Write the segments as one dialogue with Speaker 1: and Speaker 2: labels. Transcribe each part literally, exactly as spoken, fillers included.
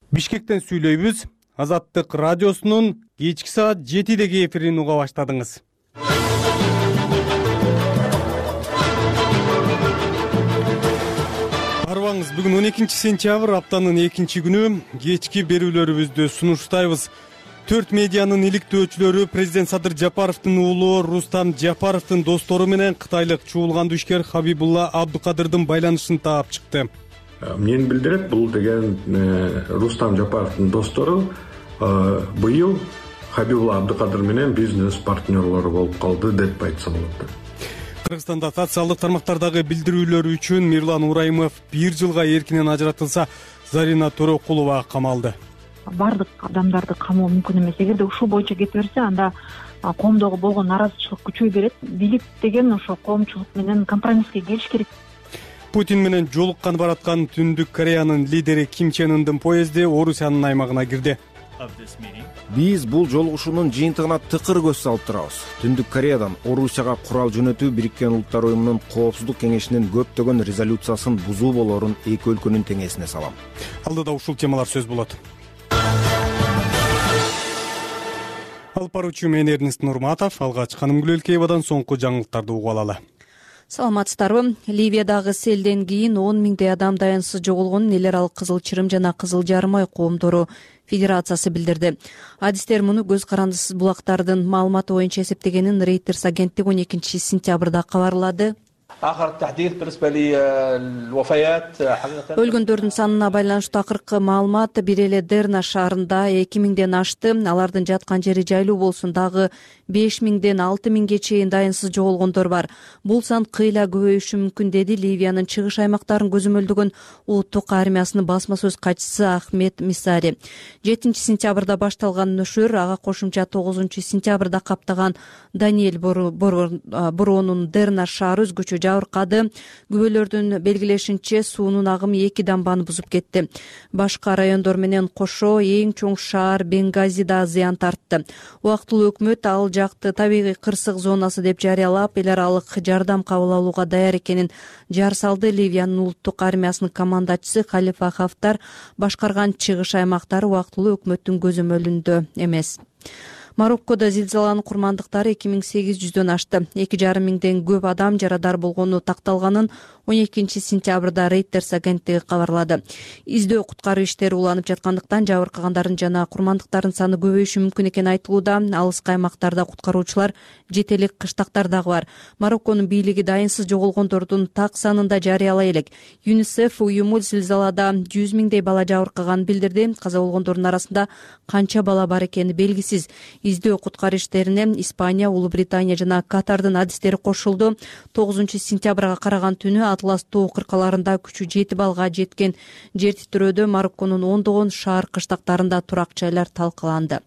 Speaker 1: Бишкектен сүйлөйбүз. Азаттык радиосунун кечки саат жетидеги эфирин уга баштадыңыз. Арбаңыз, бүгүн он экинчи сентябрь, аптанын экинчи күнү. Кечки берүүлөрүбүздү сунуштайбыз. Төрт медианын иликтөөчүлөрү президент Садыр Жапаровдун уулу Рустам Жапаровдун достору менен кытайлык чуулган ишкер Хабибулла Абдукадырдын байланышын таап чыкты.
Speaker 2: Эмнени билдирет бул деген Рустам Жапаровдун достору быйыл Хабибулла Абдукадыр менен бизнес партнерлору болуп калды деп айтса болот.
Speaker 1: Кыргызстанда социалдык тармактардагы билдирүүлөр үчүн Мирлан Урайымов бир жылга эркинен ажыратылса, Зарина Төрөкулова камалды.
Speaker 3: Бардык адамдарды камоо мүмкүн эмес. Эгерде ушул боюнча кете берсе, анда коомдогу болгон нааразычылык күчөй берет. Бийлик деген ошо коомчулук менен компромисске келиш керек.
Speaker 1: Путин менен жолуккан бараткан Түндүк Кореянын лидери Ким Чен Ындын поезди Орусиянын аймагына кирди.
Speaker 4: Биз бул жолугушуунун жыйынтыгына тыкыр көз салып турабыз. Түндүк Кореядан Орусияга курал жөнөтүү Бириккен Улуттар уюмунун Коопсуздук кеңешинин көптөгөн резолюциясын бузуу болорун эки өлкөнүн теңесине салам.
Speaker 1: Алдыда ушул темалар сөз болот. Алып баруучу мен Эрнест Нурматов, алгач Канымгүл Элкеевадан соңку жаңылыктарды угуп алалы.
Speaker 5: Саламатсыздарбы? Ливиядагы селден кийин он миңдей адам даянсыз жоголгонун Эл аралык Кызыл Чырым жана Кызыл Жарым ай коомдору федерациясы билдирди. Адистер муну көз карандысыз булактардын маалыматы боюнча эсептегенин Reuters агенттиги он экинчи сентябрда кабарлады. Өлгөндөрдүн санына байланыштуу акыркы маалымат бир эле Дерна шаарында эки миңден ашты. Алардын жаткан жери жайлуу болсун, дагы беш миңден алты миңге чейин дайынсыз жоголгондор бар. Бул сан кыйла көбөйүшү мүмкүн, деди Ливиянын чыгыш аймактарын көзөмөлдөгөн улуттук армиясынын басма сөз катчысы Ахмед Мисари. жетинчи сентябрда башталган нөшөр ага кошумча тогузунчу сентябрда каптаган Даниэль Боронун Дерна шаары өзгөчө жабыркады. Күбөлөрдүн белгилешинче суунун агымы эки дамбаны бузуп кетти. Башка райондор менен кошо эң чоң шаар Бенгазида зыян тартты. Убактылуу өкмөт ал жакты табигый кырсык зонасы деп жарыялап, эл аралык жардам кабыл алууга даяр экенин жар салды. Ливиянын улуттук армиясынын командачысы Халифа Хафтар башкарган чыгыш аймактары убактылуу өкмөттүн көзөмөлүндө эмес. Мароккодо зилзаланын курмандыктары эки миң сегиз жүздөн ашты. эки жарым миңден көп адам жарадар болгону такталганын он экинчи сентябрда Reuters агенттиги кабарлады. Издөө куткаруу иштери уланып жаткандыктан жабыркагандардын жана курмандыктардын саны көбөйүшү мүмкүн экени айтылууда. Алыскы аймактарда куткаруучулар жете элек кыштактар дагы бар. Марокконун бийлиги дайынсыз жоголгондордун так санын да жарыялай элек. ЮНИСЕФ уюму зилзалада жүз миңдей бала жабыркаганын билдирди. Каза болгондордун арасында канча бала бар экени белгисиз. Издөө куткаруу иштерине Испания, Улуу Британия жана Катардын адистери кошулду. тогузунчу сентябрга караган түнү Атлас тоо кыркаларында күчү жети баллга жеткен жер титирөөдө Марокконун ондогон шаар кыштактарында турак жайлар талкаланды.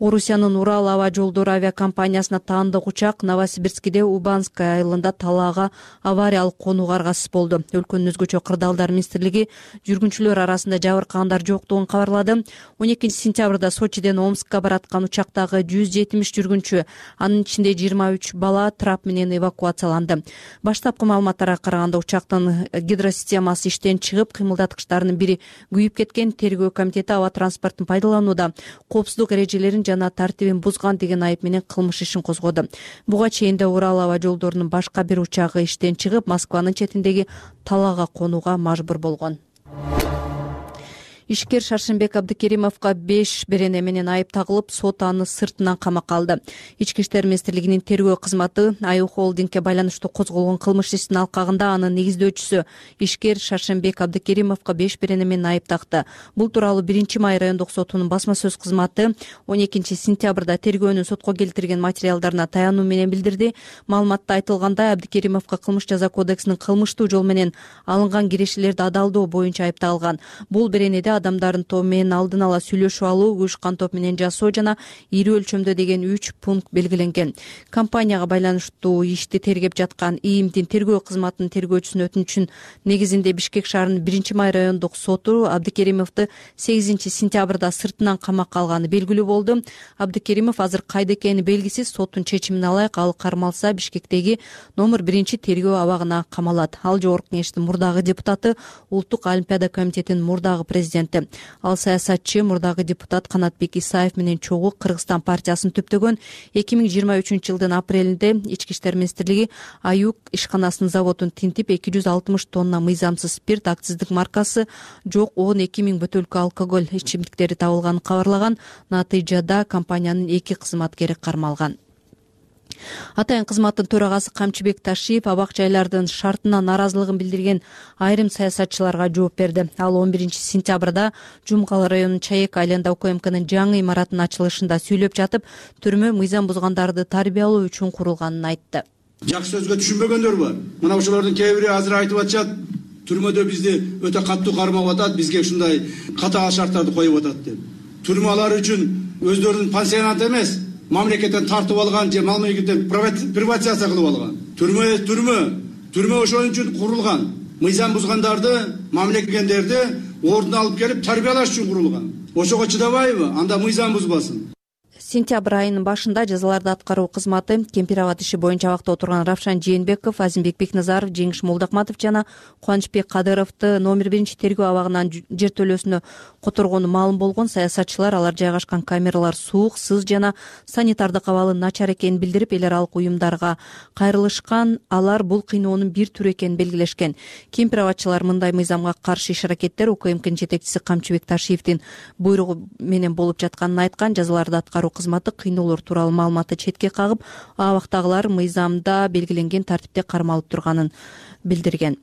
Speaker 5: Орусиянын Урал аба жолдору авиакомпаниясына таандык учак Новосибирскиде Убанская айылында талаага авариялык конууга аргасыз болду. Өлкөнүн өзгөчө кырдаалдар министрлиги жүргүнчүлөр арасында жабыркагандар жоктугун кабарлады. он экинчи сентябрда Сочиден Омскка бараткан учактагы жүз жетимиш жүргүнчү, анын ичинде жыйырма үч бала трап менен эвакуацияланды. Баштапкы маалыматтарга караганда учактын гидросистемасы иштен чыгып, кыймылдаткычтарынын бири күйүп кеткен. Тергөө комитети аба транспортун пайдаланууда коопсуздук эрежелерин жана тартибин бузган деген айып менен кылмыш ишин козгоду. Буга чейин да Урал аба жолдорунун башка бир учагы иштен чыгып, Москванын четиндеги талаага конууга мажбур болгон. Ишкер Шаршенбек Абдыкеримовго беш берене менен айып тагылып, сот аны сыртынан камакка алды. Ички иштер министрлигинин тергөө кызматы Аю холдингке байланыштуу козголгон кылмыш ишинин алкагында анын негиздөөчүсү ишкер Шаршенбек Абдыкеримовго беш берене менен айып такты. Бул тууралуу биринчи май райондук сотунун басма сөз кызматы он экинчи сентябрда тергөөнүн сотко келтирген материалдарына таянуу менен билдирди. Маалыматта айтылгандай, Абдыкеримовго кылмыш жаза кодексинин кылмыштуу жол менен алынган кирешелерди адалдоо боюнча айыпталган. Бул беренеде адамдардын тобу менен алдын ала сүйлөшүп алуу, уюшкан топ менен жасоо жана ири өлчөмдө деген үч пункт белгиленген. Компанияга байланыштуу ишти тергеп жаткан ИИМдин тергөө кызматынын тергөөчүсүнүн өтүнүчүнүн негизинде Бишкек шаарынын биринчи май райондук соту Абдыкеримовду сегизинчи сентябрда сыртынан камакка алганы белгилүү болду. Абдыкеримов азыр кайда экени белгисиз. Соттун чечимине ылайык ал кармалса Бишкектеги номер биринчи тергөө абагына камалат. Ал жогорку кеңештин мурдагы депутаты, Улуттук олимпиада комитетинин мурдагы президенти президенти. Ал саясатчы мурдагы депутат Канатбек Исаев менен чогуу Кыргызстан партиясын түптөгөн. эки миң жыйырма үчүнчү жылдын апрелинде Ички иштер министрлиги Аюк ишканасынын заводун тинтип эки жүз алтымыш тонна мыйзамсыз спирт, акциздик маркасы жок он эки миң бөтөлкө алкоголь ичимдиктери табылганын кабарлаган. Натыйжада компаниянын эки кызматкери кармалган. Атайын кызматтын төрагасы Камчыбек Ташиев абак жайлардын шартына наразылыгын билдирген айрым саясатчыларга жооп берди. Ал он биринчи сентябрда Жумкал районунун Чаек айланда УКМКнын жаңы имаратынын ачылышында сүйлөп жатып, түрмө мыйзам бузгандарды тарбиялоо үчүн курулганын айтты.
Speaker 6: Жакшы сөзгө түшүнбөгөндөр бар. Мына ошолордун кээ бири азыр айтып атышат, түрмөдө бизди өтө катуу кармап атат, бизге ушундай катаал шарттарды коюп атат деп. Түрмалар үчүн өздөрүнүн пансионат эмес, мамлекеттен тартып алган же мамлекеттен приватизация кылып алган. Түрмө түрмө, түрмө ошон үчүн курулган. Мыйзам бузгандарды, мамлекеттендерди ордуна алып келип тарбиялаш үчүн курулган. Ошого чыдабайбы? Анда мыйзам бузбасын.
Speaker 5: Сентябрь айынын башында жазаларды аткаруу кызматы Кемпир Абад иши боюнча абакта отурган Равшан Жээнбеков, Азимбек Бекназаров, Жеңиш Молдокматов жана Кубанычбек Кадыровду номер биринчи тергөө абагынан жертөлөөсүнө которгону маалым болгон. Саясатчылар алар жайгашкан камералар суук, сыз жана санитардык абалы начар экенин билдирип, эл аралык уюмдарга кайрылышкан. Алар бул кыйноонун бир түрү экенин белгилешкен. Кемпир Абадчылар мындай мыйзамга каршы иш-аракеттер УКМКнын жетекчиси Камчыбек Ташиевдин буйругу менен болуп жатканын айткан. Жазаларды аткаруу кызматы кыйноолор тууралуу маалыматты четке кагып, абактагылар мыйзамда белгиленген тартипте кармалып турганын билдирген.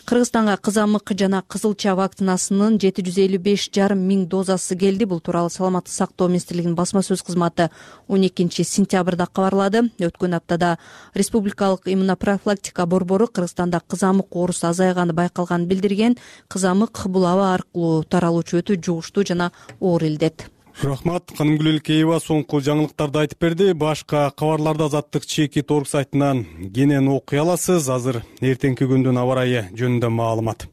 Speaker 5: Кыргызстанга кызамык жана кызылча вакцинасынын жети жүз элүү беш жарым миң дозасы келди. Бул тууралуу Саламаттык сактоо министрлигинин басма сөз кызматы он экинчи сентябрда кабарлады. Өткөн аптада Республикалык иммунопрофилактика борбору Кыргызстанда кызамык оорусу азайганы байкалганын билдирген. Кызамык бул аба аркылуу таралуучу өтө жугуштуу жана оор илдет.
Speaker 1: Рахмат. Канымгүл Элкеева соңку жаңылыктарды айтып берди. Башка кабарларды Азаттык чеки орг сайтынан кенен окуй аласыз. Азыр эртеңки күндүн аба ырайы жөнүндө маалымат.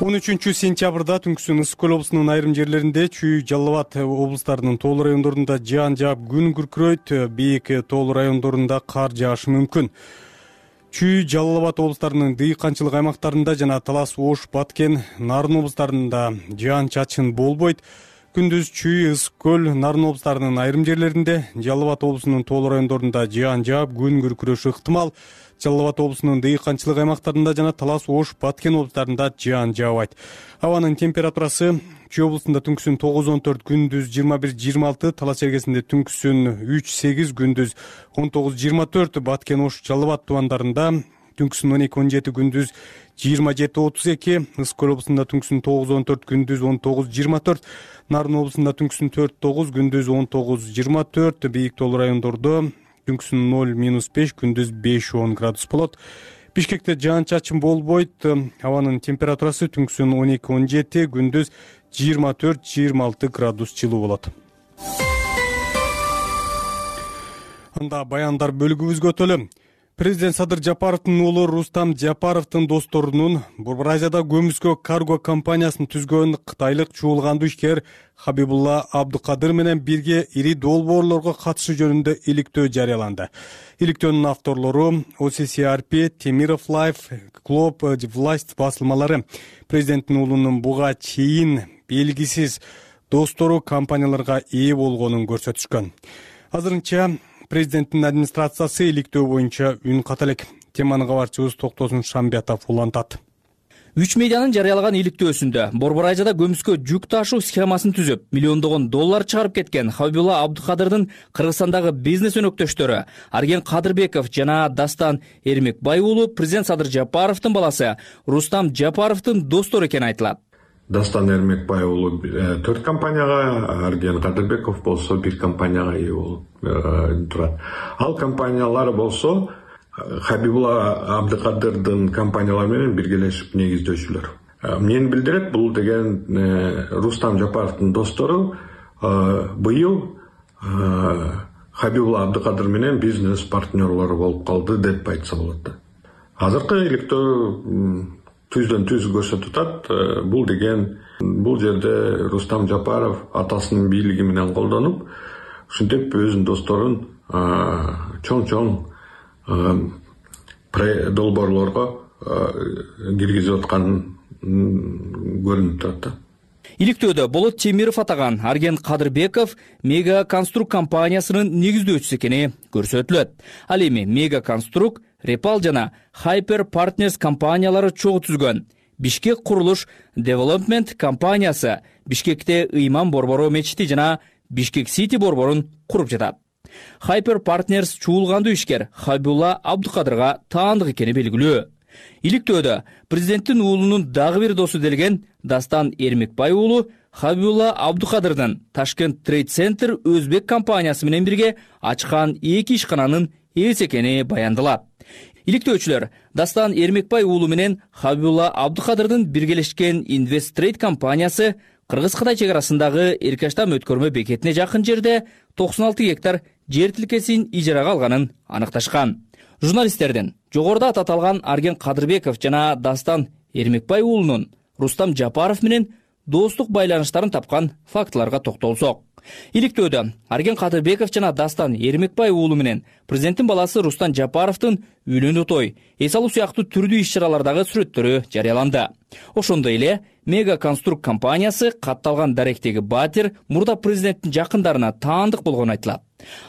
Speaker 1: он үчүнчү сентябрда түнкүсүн Ысык Көл облусунун айрым жерлеринде, Чүй, Жалал Абад облустарынын тоолуу райондорунда жаан жаап күн күркүрөйт. Бийик тоолуу райондорунда кар жаашы мүмкүн. Чүй, Жалал Абад облустарынын дыйканчылык аймактарында жана Талас, Ош, Баткен, Нарын облустарында жаан-чачын болбойт. Күндүз Чүй, Ысык Көл, Нарын облустарынын айрым жерлеринде, Жалал Абад облусунун тоолуу райондорунда жаан жаап күн күркүрөшү ыктымал. Жалал Абад облусунун дыйканчылык аймактарында жана Талас, Ош, Баткен облустарында жаан жаабайт. Абанын температурасы Чүй облусунда түнкүсүн тогуз он төрт, күндүз жыйырма бир жыйырма алты, Талас чергесинде түнкүсүн үч сегиз, күндүз он тогуз жыйырма төрт, Баткен, Ош, Жалал Абад тубандарында түнкүсүн он эки он жети, күндүз жыйырма жети отуз эки, Ысык Көл облусунда түнкүсүн тогуз он төрт, күндүз он тогуз жыйырма төрт, Нарын облусунда түнкүсүн төрт тогуз, күндүз он тогуз жыйырма төрт, бийик тоолуу райондордо түнкүсүн ноль беш, күндүз беш он градус болот. Бишкекте жаан-чачын болбойт. Абанын температурасы түнкүсүн он эки он жети, күндүз жыйырма төрт жыйырма алты градус жылуу болот. Анда баяндар бөлүгүбүзгө өтөлү. Президент Садыр Жапаровдун уулу Рустам Жапаровдун досторунун Борбор Азияда Көмүскө карго компаниясын түзгөн кытайлык чуулгандуу ишкер Хабибулла Абдыкадыр менен бирге ири долбоорлорго катышы жөнүндө иликтөө жарыяланды. Иликтөөнүн авторлору о си си ар пи, Темиров Лайф, Клуб Власть басылмалары. Президенттин уулунун буга чейин белгисиз достору компанияларга ээ болгонун көрсөтүшкөн. Азырынча президенттин администрациясы иликтөө боюнча үн ката элек. Теманы кабарчыбыз Токтосун Шамбиятов улантат.
Speaker 7: Үч медианын жарыялаган иликтөөсүндө Борбор Азияда Көмүскө жүк ташуу схемасын түзүп, миллиондогон доллар чыгарып кеткен Хабибулла Абдыкадырдын Кыргызстандагы бизнес өнөктөштөрү Арген Кадырбеков жана Дастан Эрмекбай уулу президент Садыр Жапаровдун баласы Рустам Жапаровдун достору экени айтылат.
Speaker 2: Дастан Эрмекбай уулу төрт компанияга, Арген Кадырбеков болсо бир компанияга ээ болуп турат. Ал компаниялар болсо Хабибулла Абдыкадырдын компаниялары менен биргелешип негиздөөчүлөр. Мен билдирет, бул деген Рустам Жапаровдун достору быйыл Хабибулла Абдыкадыр менен бизнес партнерлору болуп калды деп айтса болот. Азыркы иликтөө түздөн түз көрсөтүп атат. Бул деген бул жерде Рустам Жапаров атасынын бийлиги менен колдонуп, ушинтип өзүнүн досторун чоң-чоң долбоорлорго киргизип атканын көрүнүп турат да.
Speaker 7: Иликтөөдө Болот Темиров атаган Арген Кадырбеков Мега Конструк компаниясынын негиздөөчүсү экени көрсөтүлөт. Ал эми Мега Конструк, Репал жана Hyper Partners компаниялары чогуу түзгөн Бишкек курулуш Development компаниясы Бишкекте Ыйман Борбору мечити жана Бишкек Сити борборун куруп жатат. Hyper Partners чуулгандуу ишкер Хабибулла Абдыкадырга таандык экени белгилүү. Иликтөөдө президенттин уулунун дагы бир досу делген Дастан Эрмекбай уулу Хабибулла Абдыкадырдын Ташкент Трейд Центр Өзбек компаниясы менен бирге ачкан эки ишкананын ээси экени баяндалат. Иликтөөчүлөр Дастан Эрмекбай уулу менен Хабибулла Абдыкадырдын биргелешкен Инвест Трейд компаниясы Кыргыз-Кытай чек арасындагы Эркаштам өткөрмө бекетине жакын жерде токсон алты гектар жер тилкесин ижарага алганын аныкташкан. Журналисттердин жогоруда аталган Арген Кадырбеков жана Дастан Эрмекбай уулунун Рустам Жапаров менен достук байланыштарын тапкан фактыларга токтолсок. Иликтөөдө Арген Кадырбеков жана Дастан Эрмекбай уулу менен президенттин баласы Рустам Жапаровдун үйлөнүү той, эс алуу сыяктуу түрдүү иш-чаралардагы сүрөттөрү жарыяланды. Ошондой эле Мега Конструк компаниясы катталган даректеги Батир мурда президенттин жакындарына таандык болгону айтылат.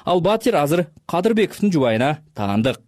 Speaker 7: Ал Батир азыр Кадырбековдун жубайына таандык.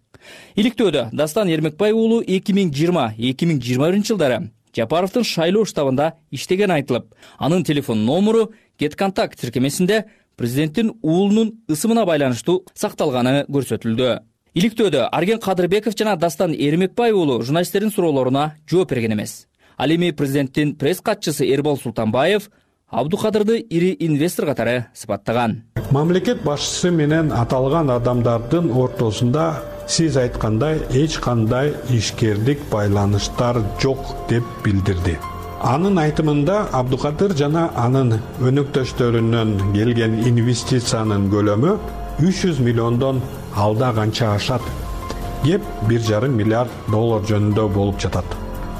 Speaker 7: Иликтөөдө Дастан Эрмекбай уулу эки миң жыйырма — эки миң жыйырма биринчи жылдары Жапаровдун шайлоо штабында иштеген айтылып, анын телефон номеру GetContact тиркемесинде президенттин уулунун ысымына байланыштуу сакталганы көрсөтүлдү. Иликтөөдө Арген Кадырбеков жана Дастан Эрмекбай уулу журналисттердин суроолоруна жооп берген эмес. Ал эми президенттин пресс катчысы Эрбол Султанбаев Абдыкадырды ири инвестор катары сыпаттаган.
Speaker 8: Мамлекет башчысы менен аталган адамдардын ортосунда сиз айткандай эч кандай ишкерлик байланыштар жок деп билдирди. Анын айтымында Абдыкадыр жана анын өнөктөштөрүнөн келген инвестициянын көлөмү үч жүз миллиондон алда канча ашат. Кеп бир жарым миллиард доллар жөнүндө болуп жатат.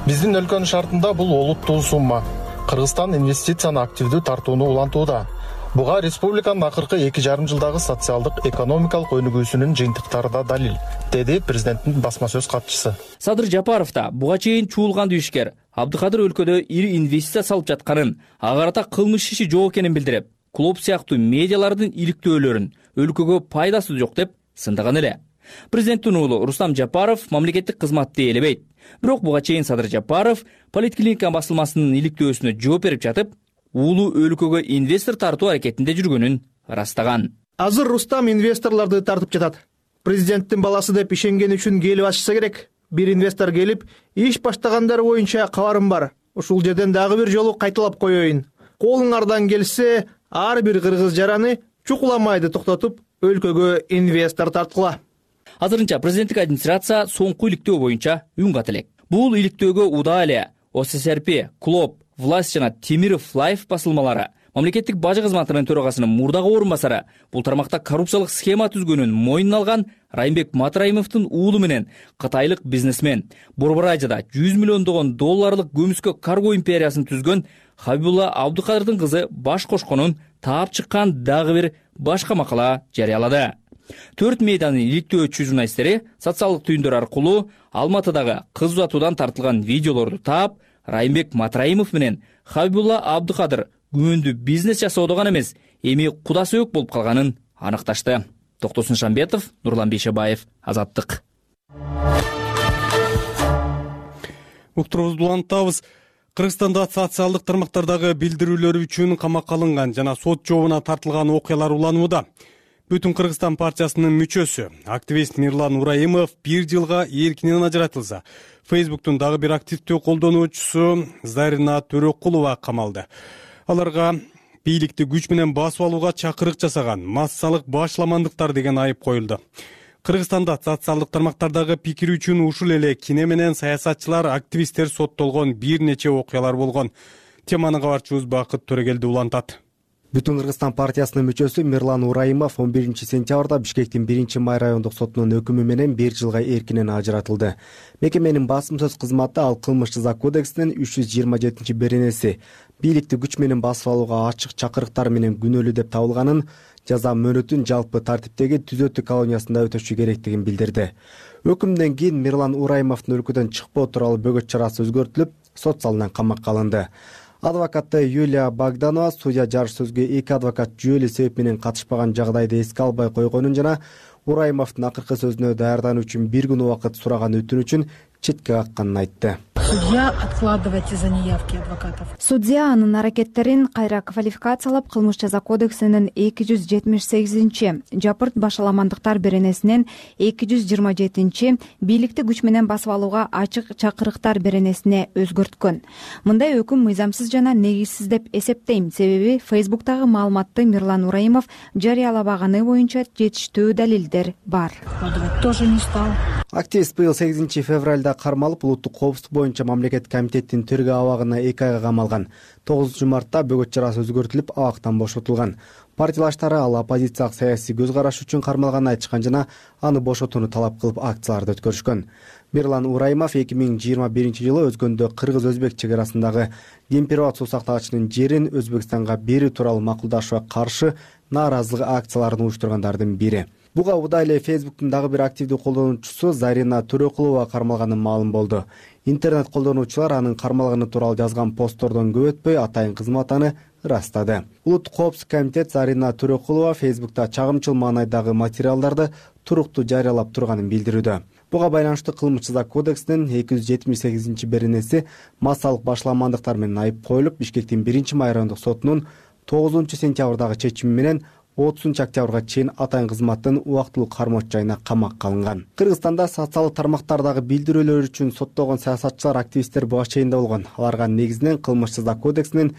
Speaker 9: Биздин өлкөнүн шартында бул олуттуу сумма. Кыргызстан инвестицияны активдүү тартууну улантууда. Буга республиканын акыркы эки жарым жылдагы социалдык экономикалык өнүгүүсүнүн жыйынтыктары да далил, деди президенттин басма сөз катчысы.
Speaker 7: Садыр Жапаров да буга чейин чуулгандуу ишкер Абдыкадыр өлкөдө ири инвестиция салып жатканын, ага карата кылмыш иши жок экенин билдирип, клуб сыяктуу медиалардын иликтөөлөрүн өлкөгө пайдасы жок деп сындаган эле. Президенттин уулу Рустам Жапаров мамлекеттик кызматты ээлебейт. Бирок буга чейин Садыр Жапаров Политклиника басылмасынын иликтөөсүнө жооп берип жатып, уулу өлкөгө инвестор тартуу аракетинде жүргөнүн ырастаган.
Speaker 10: Азыр Рустам инвесторлорду тартып жатат. Президенттин баласы деп ишенген үчүн келип ачса керек. Бир инвестор келип, иш баштагандар боюнча кабарым бар. Ушул жерден дагы бир жолу кайталап коеюн. Колуңардан келсе, ар бир кыргыз жараны чукуламайды токтотуп, өлкөгө инвестор тарткыла.
Speaker 7: Азырынча президенттик администрация соңку иликтөө боюнча үн кат элек. Бул иликтөөгө удаа эле О С С Р П, Клоп, Власть жана Темиров Лайф басылмалары, мамлекеттик бажы кызматынын төрагасынын мурдагы орун басары бул тармакта коррупциялык схема түзгөнүн мойнуна алган Райымбек Матраимовдун уулу менен кытайлык бизнесмен Борборайжада жүз миллиондогон долларлык көмүскө карго империясын түзгөн Хабибулла Абдыкадырдын кызы баш кошконун таап чыккан дагы бир башка макала жарыялады. Төрт медианын иликтөөчү журналисттери социалдык түйүндөр аркылуу Алматыдагы кыз узатуудан тартылган видеолорду таап, Райымбек Матраимов менен Хабибулла Абдыкадыр күмөндүү бизнес жасоодо гана эмес, эми куда сөөк болуп калганын аныкташты. Токтосун Шамбетов, Нурлан Бейшебаев, Азаттык.
Speaker 1: Уктурубузду улантабыз. Кыргызстанда социалдык тармактардагы билдирүүлөр үчүн камакка алынган жана сот жообуна тартылган окуялар уланууда. Бүтүн Кыргызстан партиясынын мүчөсү, активист Мирлан Ураимов бир жылга эркинен ажыратылса, Фейсбуктун дагы бир активдүү колдонуучусу Зарина Төрөкулова камалды. Аларга бийликти күч менен басып алууга чакырык жасаган, массалык башламандыктар деген айып коюлду. Кыргызстанда социалдык тармактардагы пикир үчүн ушул эле кине менен саясатчылар, активисттер соттолгон бир нече окуялар болгон. Теманы кабарчыбыз Бакыт Төрөгелди улантат.
Speaker 11: Бүтүн Кыргызстан партиясынын мүчөсү Мирлан Ураимов он биринчи сентябрда Бишкектин биринчи май райондук сотунун өкүмү менен бир жылга эркинен ажыратылды. Мекеменин басым сөз кызматы ал кылмыш жаза кодексинин үч жүз жыйырма жетинчи беренеси бийликти күч менен басып алууга ачык чакырыктар менен күнөөлүү деп табылганын, жаза мөөнөтүн жалпы тартиптеги түзөтүү колониясында өтөшү керектигин билдирди. Өкүмдөн кийин Мирлан Ураимовдун өлкөдөн чыкпоо тууралуу бөгөт чарасы өзгөртүлүп, сот залынан камакка алынды. Адвокаты Юлия Богданова судья жарыш сөзгө эки адвокат жүйөлүү себеп менен катышпаган жагдайды эске албай койгонун жана Урайымовдун акыркы сөзүнө даярдануу үчүн бир күн убакыт сураган өтүнүчүн четке какканын айтты.
Speaker 12: Судья откладывать из-за неявки адвокатов.
Speaker 13: Судья анын аракеттерин кайра квалификациялап, кылмыш жаза кодексинин эки жүз жетимиш сегизинчи жапырт башаламандыктар беренесинен эки жүз жыйырма жетинчи бийликти күч менен басып алууга ачык чакырыктар беренесине өзгөрткөн. Мындай өкүм мыйзамсыз жана негизсиз деп эсептейм, себеби Фейсбуктагы маалыматты Мирлан Урайымов жарыялабаганы боюнча жетиштүү далилдер бар.
Speaker 12: Тоже не стал.
Speaker 11: Активист быйыл сегизинчи февралда кармалып, улуттук коопсуздук боюнча мамлекеттик комитеттин тергөө абагына эки айга камалган. тогузунчу мартта бөгөт чарасы өзгөртүлүп, абактан бошотулган. Партиялаштары ал оппозициялык саясий көз караш үчүн кармалганын айтышкан жана аны бошотууну талап кылып акцияларды өткөрүшкөн. Мирлан Урайымов эки миң жыйырма биринчи жылы өзгөндө кыргыз-өзбек чек арасындагы Демпирбат суу сактагычынын жерин Өзбекстанга берүү тууралуу макулдашууга каршы нааразылык акцияларын уюштургандардын бири. Буга удай эле Фейсбуктун дагы бир активдүү колдонуучусу Зарина Төрөкулова кармалганы маалым болду. Интернет колдонуучулар анын кармалганы тууралуу жазган посттордон көп өтпөй атайын кызмат аны ырастады. Улуттук коопсуздук комитет Зарина Төрөкулова Фейсбукта чагымчыл маанайдагы материалдарды туруктуу жарыялап турганын билдирүүдө. Буга байланыштуу кылмыш жаза кодексинин эки жүз жетимиш сегизинчи беренеси массалык башаламандыктар менен айып коюлуп, Бишкектин биринчи май райондук сотунун тогузунчу сентябрдагы чечими менен отузунчу октябрга чейин атайын кызматтын убактылуу кармоочу жайына камакка алынган. Кыргызстанда социалдык тармактардагы билдирүүлөр үчүн соттолгон саясатчылар, активисттер буга чейинде болгон. Аларга негизинен кылмыш жаза кодексинин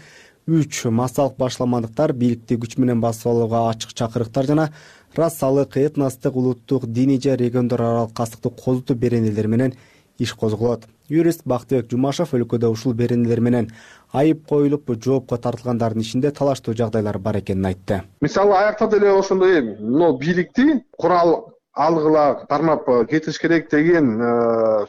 Speaker 11: үч массалык башаламандыктар, бийликти күч менен басып алууга ачык чакырыктар жана расалык, этностук, улуттук, диний же региондор аралык кастыкты козутуу беренелери менен иш козголот. Юрист Бактыбек Жумашев өлкөдө ушул беренелер менен айып коюлуп, жоопко тартылгандардын ичинде талаштуу жагдайлар бар экенин айтты.
Speaker 14: Мисалы, аякта деле ошондой, но бийликти курал алгыла кармап кетиш керек деген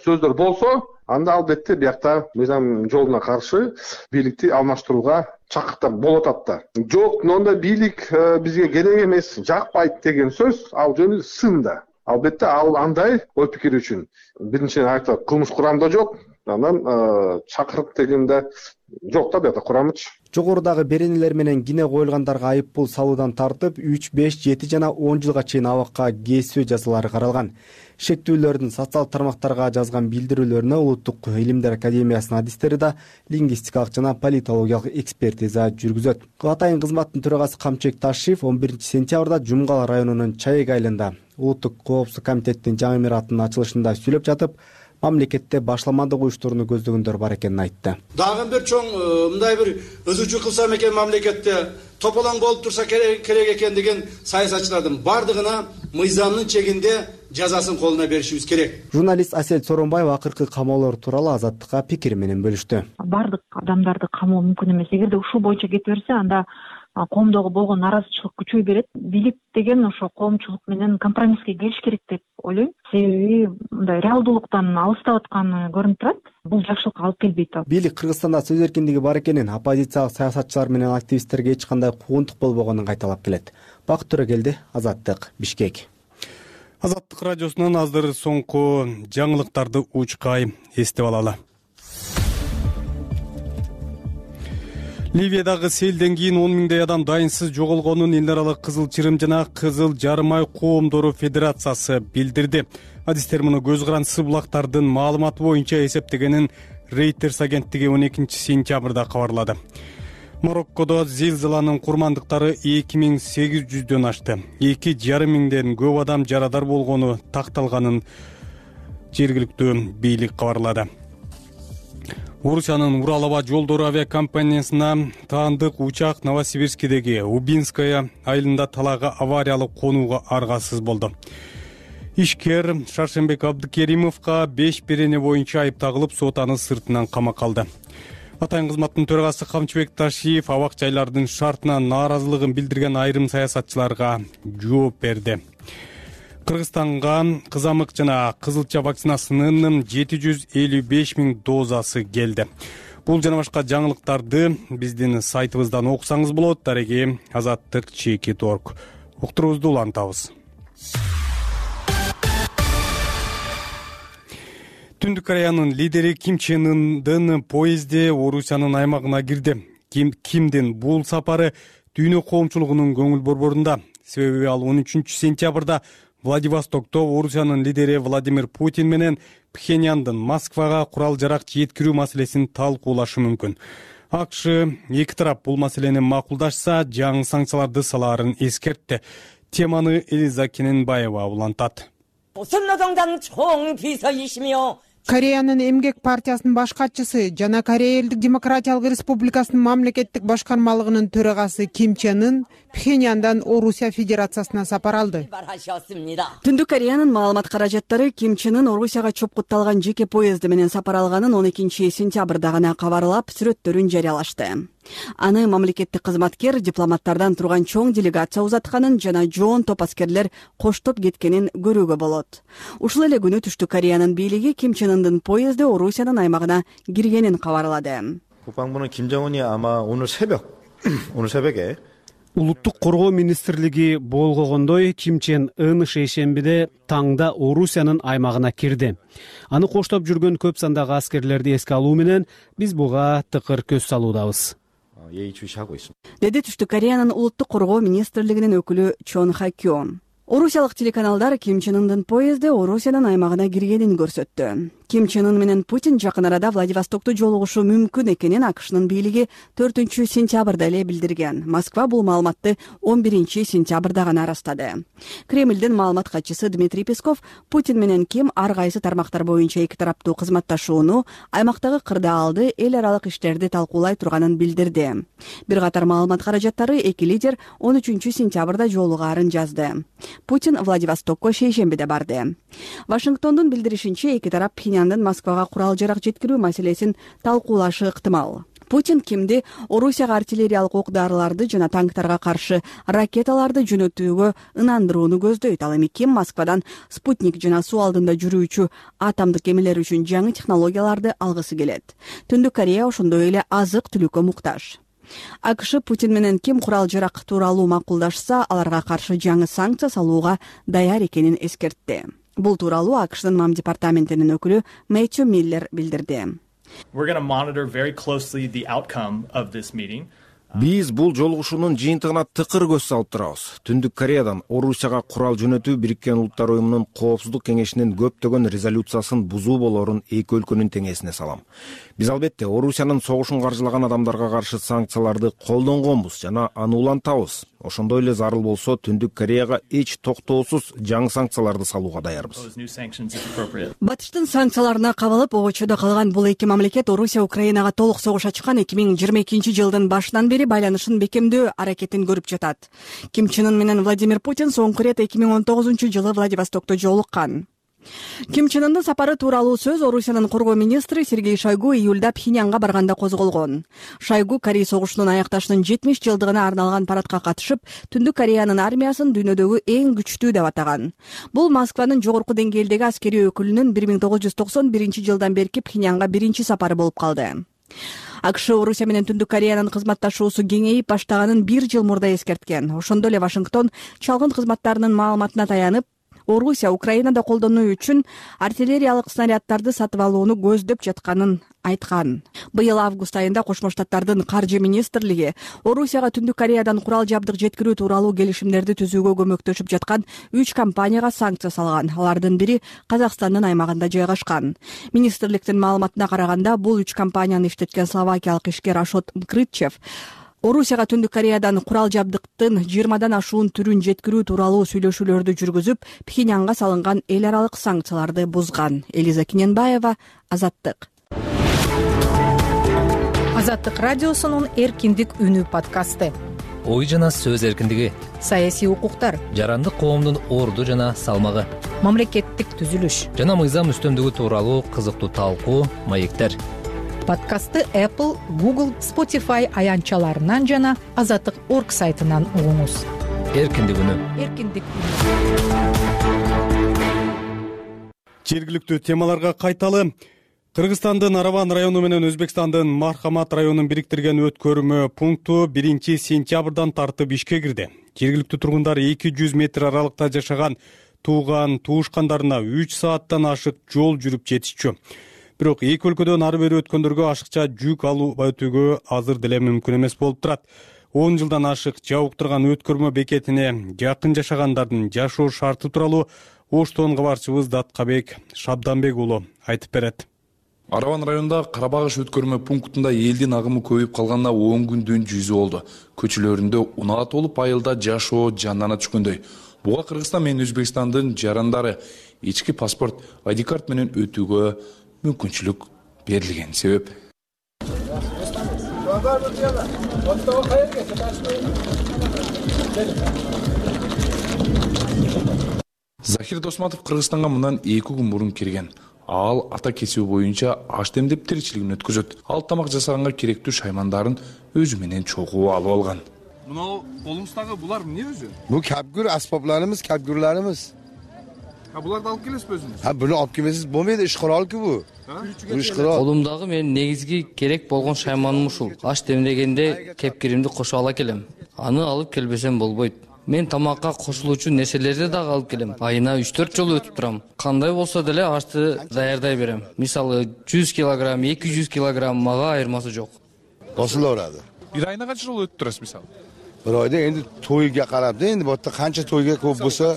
Speaker 14: сөздөр болсо, анда албетте биякта мыйзам жолуна каршы бийликти алмаштырууга чакыртып болот атта. Жок, мындай бийлик бизге керек эмес, жакпайт деген сөз ал жөнү сын да. Албетте ал андай ой пикир үчүн биринчиден айтты, кылмыш курамда жок, анан чакырык дегенде жок да биякта курамычы.
Speaker 11: Жогорудагы беренелер менен кине коюлгандарга айып пул салуудан тартып үч, беш, жети жана он жылга чейин абакка кесүү жазалары каралган. Шектүүлөрдүн социалдык тармактарга жазган билдирүүлөрүнө Улуттук илимдер академиясынын адистери да лингвистикалык жана политологиялык экспертиза жүргүзөт. Атайын кызматтын төрагасы Камчек Ташиев он биринчи сентябрда Жумгал районунун Чайык айылында Улуттук коопсуздук комитеттин жаңы имараттын ачылышында сүйлөп жатып, мамлекетте башаламандык уюштурууну көздөгөндөр бар экенин айтты.
Speaker 6: Дагы бир чоң мындай бир өзүчү кылсам экен мамлекетте тополоң болуп турса керек экен деген саясатчылардын бардыгына мыйзамдын чегинде жазасын колуна беришибиз керек.
Speaker 11: Журналист Асел Соронбаева акыркы камоолор тууралуу Азаттыкка пикир менен бөлүштү.
Speaker 3: Бардык адамдарды камоо мүмкүн эмес. Эгерде ушул боюнча кете берсе, анда коомдогу болгон наразычылык күчөй берет. Бийлик деген ошо коомчулук менен компромисске келиш керек деп ойлойм. Себеби мындай реалдуулуктан алыстап атканы көрүнүп турат. Бул жакшылыкка алып келбейт.
Speaker 11: Бийлик Кыргызстанда сөз эркиндиги бар экенин, оппозициялык саясатчылар менен активисттерге эч кандай куугунтук болбогонун кайталап келет. Бакыт Төрөгелди, Азаттык, Бишкек.
Speaker 1: Азаттык радиосунан азыр соңку жаңылыктарды учкай эстеп алалы. Ливиядагы селден кийин он миңдей адам дайынсыз жоголгонун эл аралык Кызыл Чырым жана Кызыл Жармай коомдору федерациясы билдирди. Адистер муну көз карандысы булактардын маалыматы боюнча эсептегенин Reuters агенттиги он экинчи сентябрда кабарлады. Мароккодо зилзаланын курмандыктары эки миң сегиз жүздөн ашты. эки жарым миңден көп адам жарадар болгону такталганын жергиликтүү бийлик кабарлады. Орусиянын Урал аба жолдору авиакомпаниясына таандык учак Новосибирскидеги Убинская айылында талага авариялык конууга аргасыз болду. Ишкер Шаршембек Абдыкеримовго беш берене боюнча айып тагылып, сот аны сыртынан камакка алды. Атайын кызматтын төрагасы Камчыбек Ташиев абак жайлардын шартына нааразылыгын билдирген айрым саясатчыларга жооп берди. Кыргызстанга кызамык жана кызылча вакцинасынын жети жүз элүү беш миң дозасы келди. Бул жана башка жаңылыктарды биздин сайтыбыздан окусаңыз болот. Дареги Азаттык чекит точка орг. Уктуруубузду улантабыз. Түндүк Кореянын лидери Ким Чен Ындын поезди Орусиянын аймагына кирди. Ким Кимдин бул сапары дүйнө коомчулугунун көңүл борборунда. Себеби ал он үчүнчү сентябрда Владивостокто Орусиянын лидери Владимир Путин менен Пхеньяндын Москвага курал-жарак жеткирүү маселесин талкуулашы мүмкүн. АКШ эки тарап бул маселени макулдашса, жаңы санкцияларды салаарын эскертти. Теманы Элиза Кененбаева улантат.
Speaker 15: Кореянын Эмгек партиясынын баш катчысы жана Корея Элдик Демократиялык Республикасынын мамлекеттик башкармалыгынын төрагасы Ким Чен Ын Пхеньяндан Орусия Федерациясына сапар алды.
Speaker 16: Түндүк Кореянын маалымат каражаттары Ким Чен Ын Орусияга чопкутталган жеке поезди менен сапар алганын он экинчи сентябрда гана кабарлап, сүрөттөрүн жарыялашты. Аны мамлекеттик кызматкер дипломаттардан турган чоң делегация узатканын жана жоон топ аскерлер коштоп кеткенин көрүүгө болот. Ушул эле күнү Түштүк Кореянын бийлиги Ким Чен Ындын поезди Орусиянын аймагына киргенин кабарлады.
Speaker 17: 국방부는 김정은이 아마 오늘 새벽 오늘 새벽에
Speaker 18: Улуттук коргоо министрлиги болгондой Ким Чен Ын шейшембиде таңда Орусиянын аймагына кирди. Аны коштоп жүргөн көп сандагы аскерлерди эске алуу менен биз буга тыкыр көз салуудабыз.
Speaker 16: Деди Түштүк Кореянын улуттук коргоо министрлигинин өкүлү Чон Ха Кён. Орусиялык телеканалдар Ким Чен Ындын поезди Орусиянын аймагына киргенин көрсөттү. Ким Чен Ын менен Путин жакын арада Владивостокту жолугушу мүмкүн экенин АКШнын бийлиги төртүнчү сентябрда эле билдирген. Москва бул маалыматты он биринчи сентябрда гана ырастады. Кремлдин маалымат катчысы Дмитрий Песков Путин менен Ким ар кайсы тармактар боюнча эки тараптуу кызматташууну, аймактагы кырдаалды, эл аралык иштерди талкуулай турганын билдирди. Бир катар маалымат каражаттары эки лидер он үчүнчү сентябрда жолугаарын жазды. Путин Владивостокко шейшембиде барды. Вашингтондун билдиришинче эки тарап Пхеньяндын Москвага курал-жарак жеткирүү маселесин талкуулашы ыктымал. Путин Кимди Орусияга артиллериялык ок-дарыларды жана танктарга каршы ракеталарды жөнөтүүгө ынандырууну көздөйт. Ал эми Ким Москвадан спутник жана суу алдында жүрүүчү атомдук кемелер үчүн жаңы технологияларды алгысы келет. Түндүк Корея ошондой эле азык-түлүккө муктаж. АКШ Путин менен Ким курал-жарак тууралуу макулдашса, аларга каршы жаңы санкция салууга даяр экенин эскертти. Бул тууралуу АКШнын МАМ департаментинин өкүлү Мэтью Миллер билдирди.
Speaker 4: Биз бул жолугушуунун жыйынтыгына тыкыр көз салып турабыз. Түндүк Кореядан Орусияга курал жөнөтүү Бириккен Улуттар уюмунун Коопсуздук кеңешинин көптөгөн резолюциясын бузуу болорун эки өлкөнүн теңесине салам. Биз албетте Орусиянын согушун каржылаган адамдарга каршы санкцияларды колдонгонбуз жана аны улантабыз. Ошондой эле зарыл болсо Түндүк Кореяга эч токтоосуз жаңы санкцияларды салууга даярбыз.
Speaker 16: Батыштын санкцияларына кабылып обочодо калган бул эки мамлекет Орусия Украинага толук согуш ачкан эки миң жыйырма экинчи жылдын башынан бери байланышын бекемдөө аракетин көрүп жатат. Ким Чен Ын менен Владимир Путин соңку ирет эки миң он тогузунчу жылы Владивостокто жолуккан. Ким Чен Ындын сапары тууралуу сөз Орусиянын коргоо министри Сергей Шойгу июлда Пхеньянга барганда козголгон. Шойгу Корей согушунун аякташынын жетимиш жылдыгына арналган парадка катышып, Түндүк Кореянын армиясын дүйнөдөгү эң күчтүү деп атаган. Бул Москванын жогорку деңгээлдеги аскерий өкүлүнүн бир миң тогуз жүз токсон биринчи жылдан берки Пхеньянга биринчи сапары болуп калды. АКШ Орусия менен Түндүк Кореянын кызматташуусу кеңейип баштаганын бир жыл мурда эскерткен. Ошондой эле Вашингтон чалгын кызматтарынын маалыматына таянып, Орусия Украинада колдонуу үчүн артиллериялык снаряддарды сатып алууну көздөп жатканын айткан. Быйыл август айында Кошмо Штаттардын каржы министрлиги Орусияга Түндүк Кореядан курал жабдык жеткирүү тууралуу келишимдерди түзүүгө көмөктөшүп жаткан үч компанияга санкция салган. Алардын бири Казакстандын аймагында жайгашкан. Министрликтин маалыматына караганда, бул үч компанияны иштеткен словакиялык ишкер Ашот Мкрытчев Орусияга Түндүк Кореядан курал жабдыктын жыйырмадан ашуун түрүн жеткирүү тууралуу сүйлөшүүлөрдү жүргүзүп, Пхеньянга салынган эл аралык санкцияларды бузган. Элиза Кененбаева, Азаттык.
Speaker 12: Азаттык радиосунун Эркиндик үнү подкасты.
Speaker 19: Ой жана сөз эркиндиги,
Speaker 12: саясий укуктар,
Speaker 19: жарандык коомдун орду жана салмагы,
Speaker 12: мамлекеттик түзүлүш
Speaker 19: жана мыйзам үстөмдүгү тууралуу кызыктуу талкуу, маектер.
Speaker 12: Подкастты Apple, Google, Spotify аянтчаларынан жана азаттык точка орг сайтынан угуңуз.
Speaker 19: Эркиндик үнү.
Speaker 12: Эркиндик.
Speaker 1: Жергиликтүү темаларга кайталы. Кыргызстандын Араван району менен Өзбекстандын Мархамат районун бириктирген өткөрмө пункту биринчи сентябрдан тартып ишке кирди. Жергиликтүү тургундар эки жүз метр аралыкта жашаган тууган туушкандарына үч сааттан ашык жол жүрүп жетишчү. Бирок эки өлкөдөн ары бери өткөндөргө ашыкча жүк алып өтүүгө азыр деле мүмкүн эмес болуп турат. он жылдан ашык жабыктырган өткөрмө бекетине жакын жашагандардын жашоо шарты тууралуу Оштон кабарчыбыз Даткабек Шабданбек уулу айтып берет.
Speaker 20: Араван районунда Карабагыш өткөрмө пунктунда элдин агымы көбөйүп калганына он күндөн жүзү болду. Көчөлөрүндө унаа толуп айылда жашоо жандана түшкөндөй. Буга Кыргызстан менен Өзбекстандын жарандары ички паспорт ай ди карт менен өтүүгө мүмкүнчүлүк берилген себеп. Захир Досматов Кыргызстанга мындан эки күн мурун кирген. Ал ата кесиби боюнча аш демдеп тиричилигин өткөзөт. Ал тамак жасаганга керектүү шаймандарын өзү менен чогуу алып алган.
Speaker 21: Мына колуңуздагы булар эмне өзү?
Speaker 22: Бу капгүр аспапларыбыз, капгүрларыбыз.
Speaker 21: Ha буларды алып келесизби өзүңүз?
Speaker 22: Ha буну алып келмесиз болбойт, иш курал-ку бу. Иш курал.
Speaker 23: Колумдагы менин негизги керек болгон шайманым ушул. Аш демдегенде кепкиримди кошо ала келем. Аны алып келбесем болбойт. Мен тамакка кошулуучу нерселерди дагы алып келем. Айына үч төрт жолу өтүп турам. Кандай болсо деле ашты даярдай берем. Мисалы жүз килограмм, эки жүз килограмм мага айырмасы жок.
Speaker 22: Кошулорады.
Speaker 21: Бир айына канча жолу өтүп турасыз мисалы?
Speaker 22: Bir oyda endi to'yga qarab da, endi bu yerda qancha to'yga ko'p bo'lsa,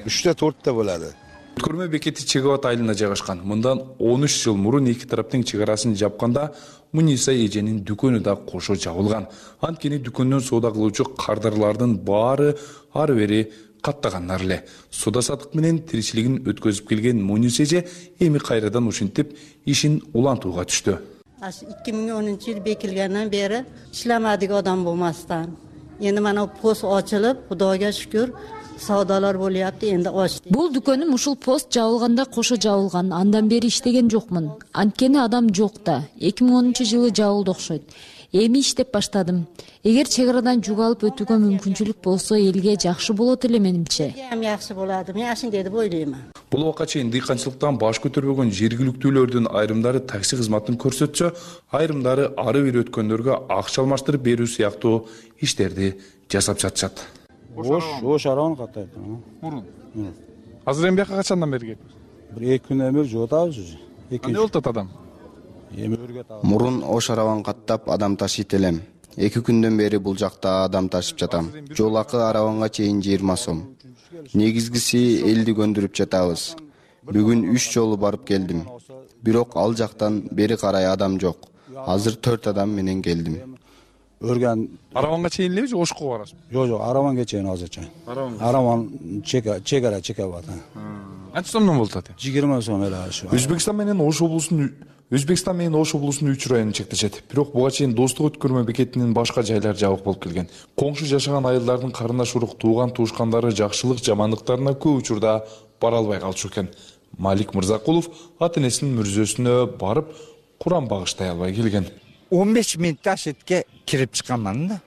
Speaker 22: uchta to'rtta bo'ladi.
Speaker 20: Өткөрмө бекети Чегават айылында жайгашкан. Мындан он үч жыл мурун эки тараптын чек арасын жапканда Муниса эженин дүкөнү да кошо жабылган. Анткени дүкөндөн соода кылуучу кардарлардын баары ары бери каттагандар эле. Соода сатык менен тиричилигин өткөзүп келген Муниса эже эми кайрадан ушинтип ишин улантууга түштү.
Speaker 24: эки миң онунчу yıl bekilgenden beri işlamadik adam bulmasdan. Endi mana post ochilib, Xudoga shukr, savdolar bo'lyapti, endi ochdi.
Speaker 25: Бул дүкөнүм ушул пост жабылганда кошо жабылган. Андан бери иштеген жокмун. Анткени адам жок да. эки миң онунчу жылы жабылды окшойт. Эми иштеп баштадым. Эгер чек арадан жүк алып өтүүгө мүмкүнчүлүк болсо, элге жакшы болот эле менимче.
Speaker 24: Эми жакшы болот. Мен ашын деп ойлоймун.
Speaker 20: Бул убакка чейин дыйканчылыктан баш көтөрбөгөн жергиликтүүлөрдүн айрымдары такси кызматын көрсөтсө, айрымдары ары бери өткөндөргө акча алмаштырып берүү сыяктуу иштерди жасап жатышат.
Speaker 26: Ош, ош араван каттайт.
Speaker 21: Мурун. Азыр эми бияка качандан бери келип?
Speaker 26: Бир эки күндөн бери жок атабыз.
Speaker 21: Эмне болуп атат адам?
Speaker 26: Эми өргөт алып.
Speaker 27: Мурун ош араван каттап адам ташыйт элем. эки күндөн бери бул жакта адам ташып жатам. Жол акы араванга чейин жыйырма сом. Негизгиси элди көндүрүп жатабыз. Бүгүн үч жолу барып келдим. Бирок ал жактан бери карай адам жок. Азыр төрт адам менен келдим.
Speaker 26: Өргөн
Speaker 21: араванга чейин элеби же Ошко барасызбы?
Speaker 26: Жок, жок, араванга чейин азырча. Араван чека, чегара чекап атат.
Speaker 21: Канча сомдон болуп атат?
Speaker 26: жыйырма сом эле ашы.
Speaker 20: Өзбекстан менен Ош облусунун Өзбекстан менен Ош облусунун үч району чектешет. Бирок буга чейин достук өткөрмө бекетинин башка жайлары жабык болуп келген. Коңшу жашаган айылдардын карындаш урук тууган туушкандары жакшылык жамандыктарына көп учурда бара албай калчу экен. Малик Мырзакулов ата-энесинин мүрзөсүнө барып Куран багыштай албай келген.
Speaker 28: он беш минутта ашетке кирип чыкаман да.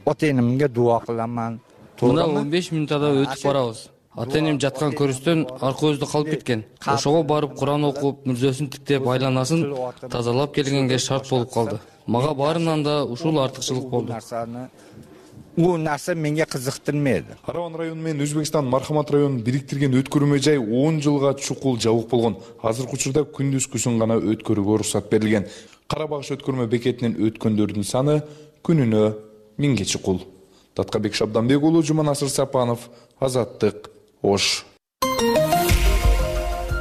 Speaker 28: Ата-энемге дуа кыламан.
Speaker 23: Мына он беш минутада өтүп барабыз. Ата-энем жаткан көрүстөн арка өзүдө калып кеткен. Ошого барып Куран окуп, мүрзөсүн тиктеп, айланасын тазалап келгенге шарт болуп калды. Мага баарынан да ушул артыкчылык болду.
Speaker 28: Бул нерсе менге кызыктырмайды.
Speaker 20: Араван району менен Өзбекстан Мархамат районун бириктирген өткөрмө жай он жылга чукул жабык болгон. Азыркы учурда күндүзгүсүн гана өткөрүүгө уруксат берилген. Карабагыш өткөрмө бекетинен өткөндөрдүн саны күнүнө миңге чукул. Даткабек Шабданбек уулу, Жуманасыр Сапанов, Азаттык, Ош.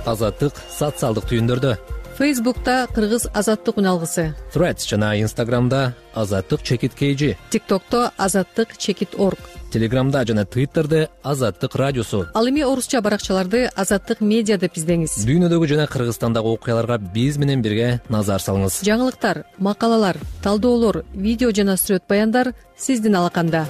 Speaker 19: Азаттык социалдык түйүндөрдө.
Speaker 29: Фейсбукта Кыргыз Азаттык үналгысы.
Speaker 19: Threads жана Инстаграмда Азаттык чекит kg.
Speaker 29: ТикТокто Азаттык чекит орг.
Speaker 19: Телеграмда жана Твиттерде Азаттык радиосу.
Speaker 29: Ал эми орусча баракчаларды Азаттык медиа деп издеңиз.
Speaker 19: Дүйнөдөгү жана Кыргызстандагы окуяларга биз менен бирге назар салыңыз.
Speaker 29: Жаңылыктар, макалалар, талдоолор, видео жана сүрөт баяндар сиздин алаканда.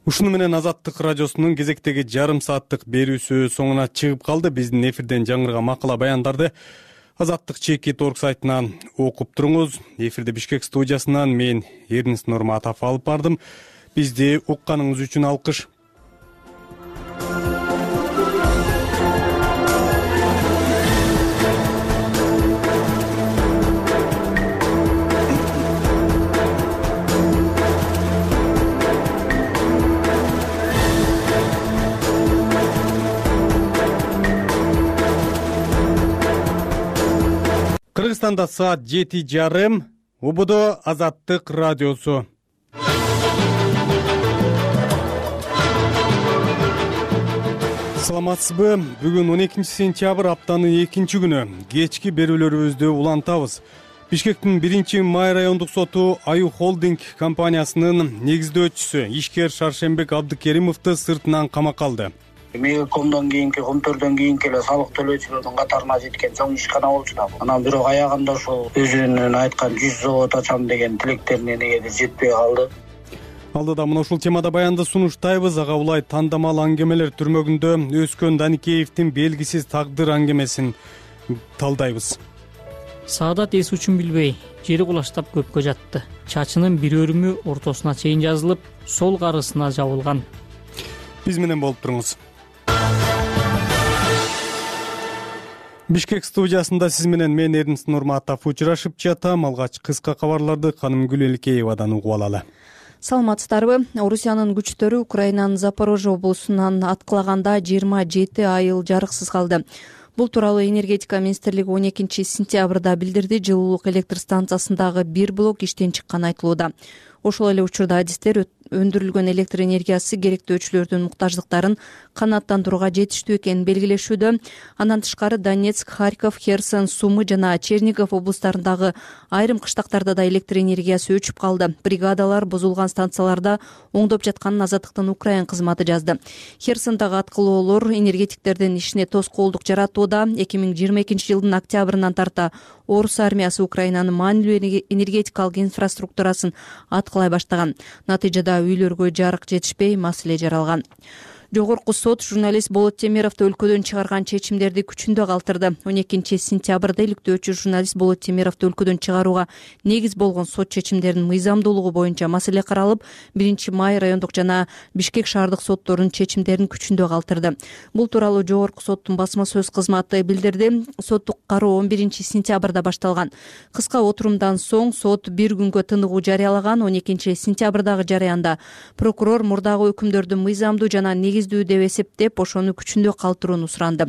Speaker 1: Ушуну менен Азаттык радиосунун кезектеги жарым сааттык берүүсү соңуна чыгып калды. Биздин эфирден жаңырган макала баяндарды Азаттык чекит орг сайтынан окуп туруңуз. Эфирде Бишкек студиясынан мен Эрнис Нурматов алып бардым. Бизди укканыңыз үчүн алкыш. Кыргызстанда саат жети жарым. Убудо Азаттык радиосу. Саламатсызбы? Бүгүн он экинчи сентябрь, аптанын экинчи күнү. Кечки берүүлөрүбүздү улантабыз. Бишкектин биринчи май райондук соту Аю Холдинг компаниясынын негиздөөчүсү ишкер Шаршембек Абдыкеримовду сыртынан камакка алды.
Speaker 2: Мегакомдон кийинки Комтөрдөн кийинки эле салык төлөөчүлөрдүн катарына жеткен чоң ишкана болчу да. Анан бирок аягында ошол өзүнүн айткан жүз завод ачам деген тилектерине негеде жетпей калды.
Speaker 1: Алдыда мына ушул темада баянды сунуштайбыз. Ага улай тандамал аңгемелер түрмөгүндө өскөн Даникеевдин белгисиз тагдыр аңгемесин талдайбыз.
Speaker 5: Саадат эс үчүн билбей жери кулаштап көпкө жатты. Чачынын бир өрүмү ортосуна чейин жазылып, сол карысына жабылган.
Speaker 1: Биз менен болуп туруңуз. Бишкек студиясында сиз менен мен Эрнст Нурматов учурашып жатам. Алгач кыска кабарларды Канымгүл Элкеевадан угуп алалы.
Speaker 6: Саламатсыздарбы? Орусиянын күчтөрү Украинанын Запорожье облусунан аткылаганда жыйырма жети айыл жарыксыз калды. Бул тууралуу энергетика министрлиги он экинчи сентябрда билдирди. Жылуулук электр станциясындагы бир блок иштен чыкканы айтылууда. Ошол эле учурда адистер өндүрүлгөн электр энергиясы керектөөчүлөрдүн муктаждыктарын канааттандырууга жетиштүү экенин белгилешүүдө. Андан тышкары Донецк, Харьков, Херсон, Сумы жана Чернигов облустарындагы айрым кыштактарда да электр энергиясы өчүп калды. Бригадалар бузулган станцияларда оңдоп жатканын Азаттыктын Украин кызматы жазды. Херсондагы аткылоолор энергетиктердин ишине тоскоолдук жаратууда. эки миң жыйырма экинчи жылдын октябрынан тарта Орус армиясы Украинанын маанилүү энергетикалык инфраструктурасын аткылай баштаган. Натыйжада үйлөргө жарык жетишпей, маселе жаралган. Жогорку сот журналист Болот Темировду өлкөдөн чыгарган чечимдерди күчүндө калтырды. он экинчи сентябрда иликтөөчү журналист Болот Темировду өлкөдөн чыгарууга негиз болгон сот чечимдеринин мыйзамдуулугу боюнча маселе каралып, биринчи май райондук жана Бишкек шаардык сотторунун чечимдерин күчүндө калтырды. Бул тууралуу жогорку соттун басма сөз кызматы билдирди. Соттук кароо он биринчи сентябрда башталган. Кыска отурумдан соң сот бир күнгө тыныгуу жарыялаган. он экинчи сентябрдагы жарыянда прокурор мурдагы өкүмдөрдү мыйзамдуу жана негиз деп эсептеп, ошону күчүндө калтырууну суранды.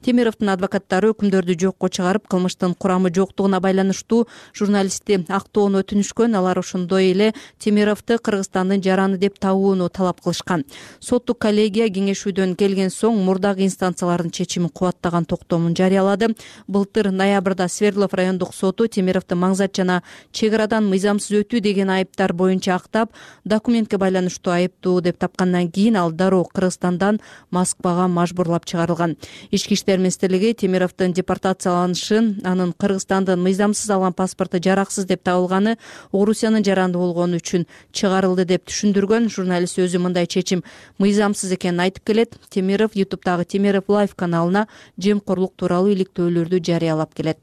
Speaker 6: Темировдун адвокаттары өкүмдөрдү жокко чыгарып, кылмыштын курамы жоктугуна байланыштуу журналистти актоону өтүнүшкөн. Алар ошондой эле Темировду Кыргызстандын жараны деп табууну талап кылышкан. Соттук коллегия кеңешүүдөн келген соң мурдагы инстанциялардын чечимин кубаттаган токтомун жарыялады. Былтыр ноябрда Свердлов райондук соту Темировду маңзат жана чек арадан мыйзамсыз өтүү деген айыптар боюнча актап, документке байланыштуу айыптуу деп тапкандан кийин ал дароо Кыргызстандан Москвага мажбурлап чыгарылган. Ички иштер министрлиги Темировдун депортацияланышын, анын Кыргызстандын мыйзамсыз алган паспорту жараксыз деп табылганы, Орусиянын жаранды болгону үчүн чыгарылды деп түшүндүргөн. Журналист өзү мындай чечим мыйзамсыз экенин айтып келет. Темиров ютубтагы Темиров Лайв каналына жемкорлук тууралуу иликтөөлөрдү жарыялап келет.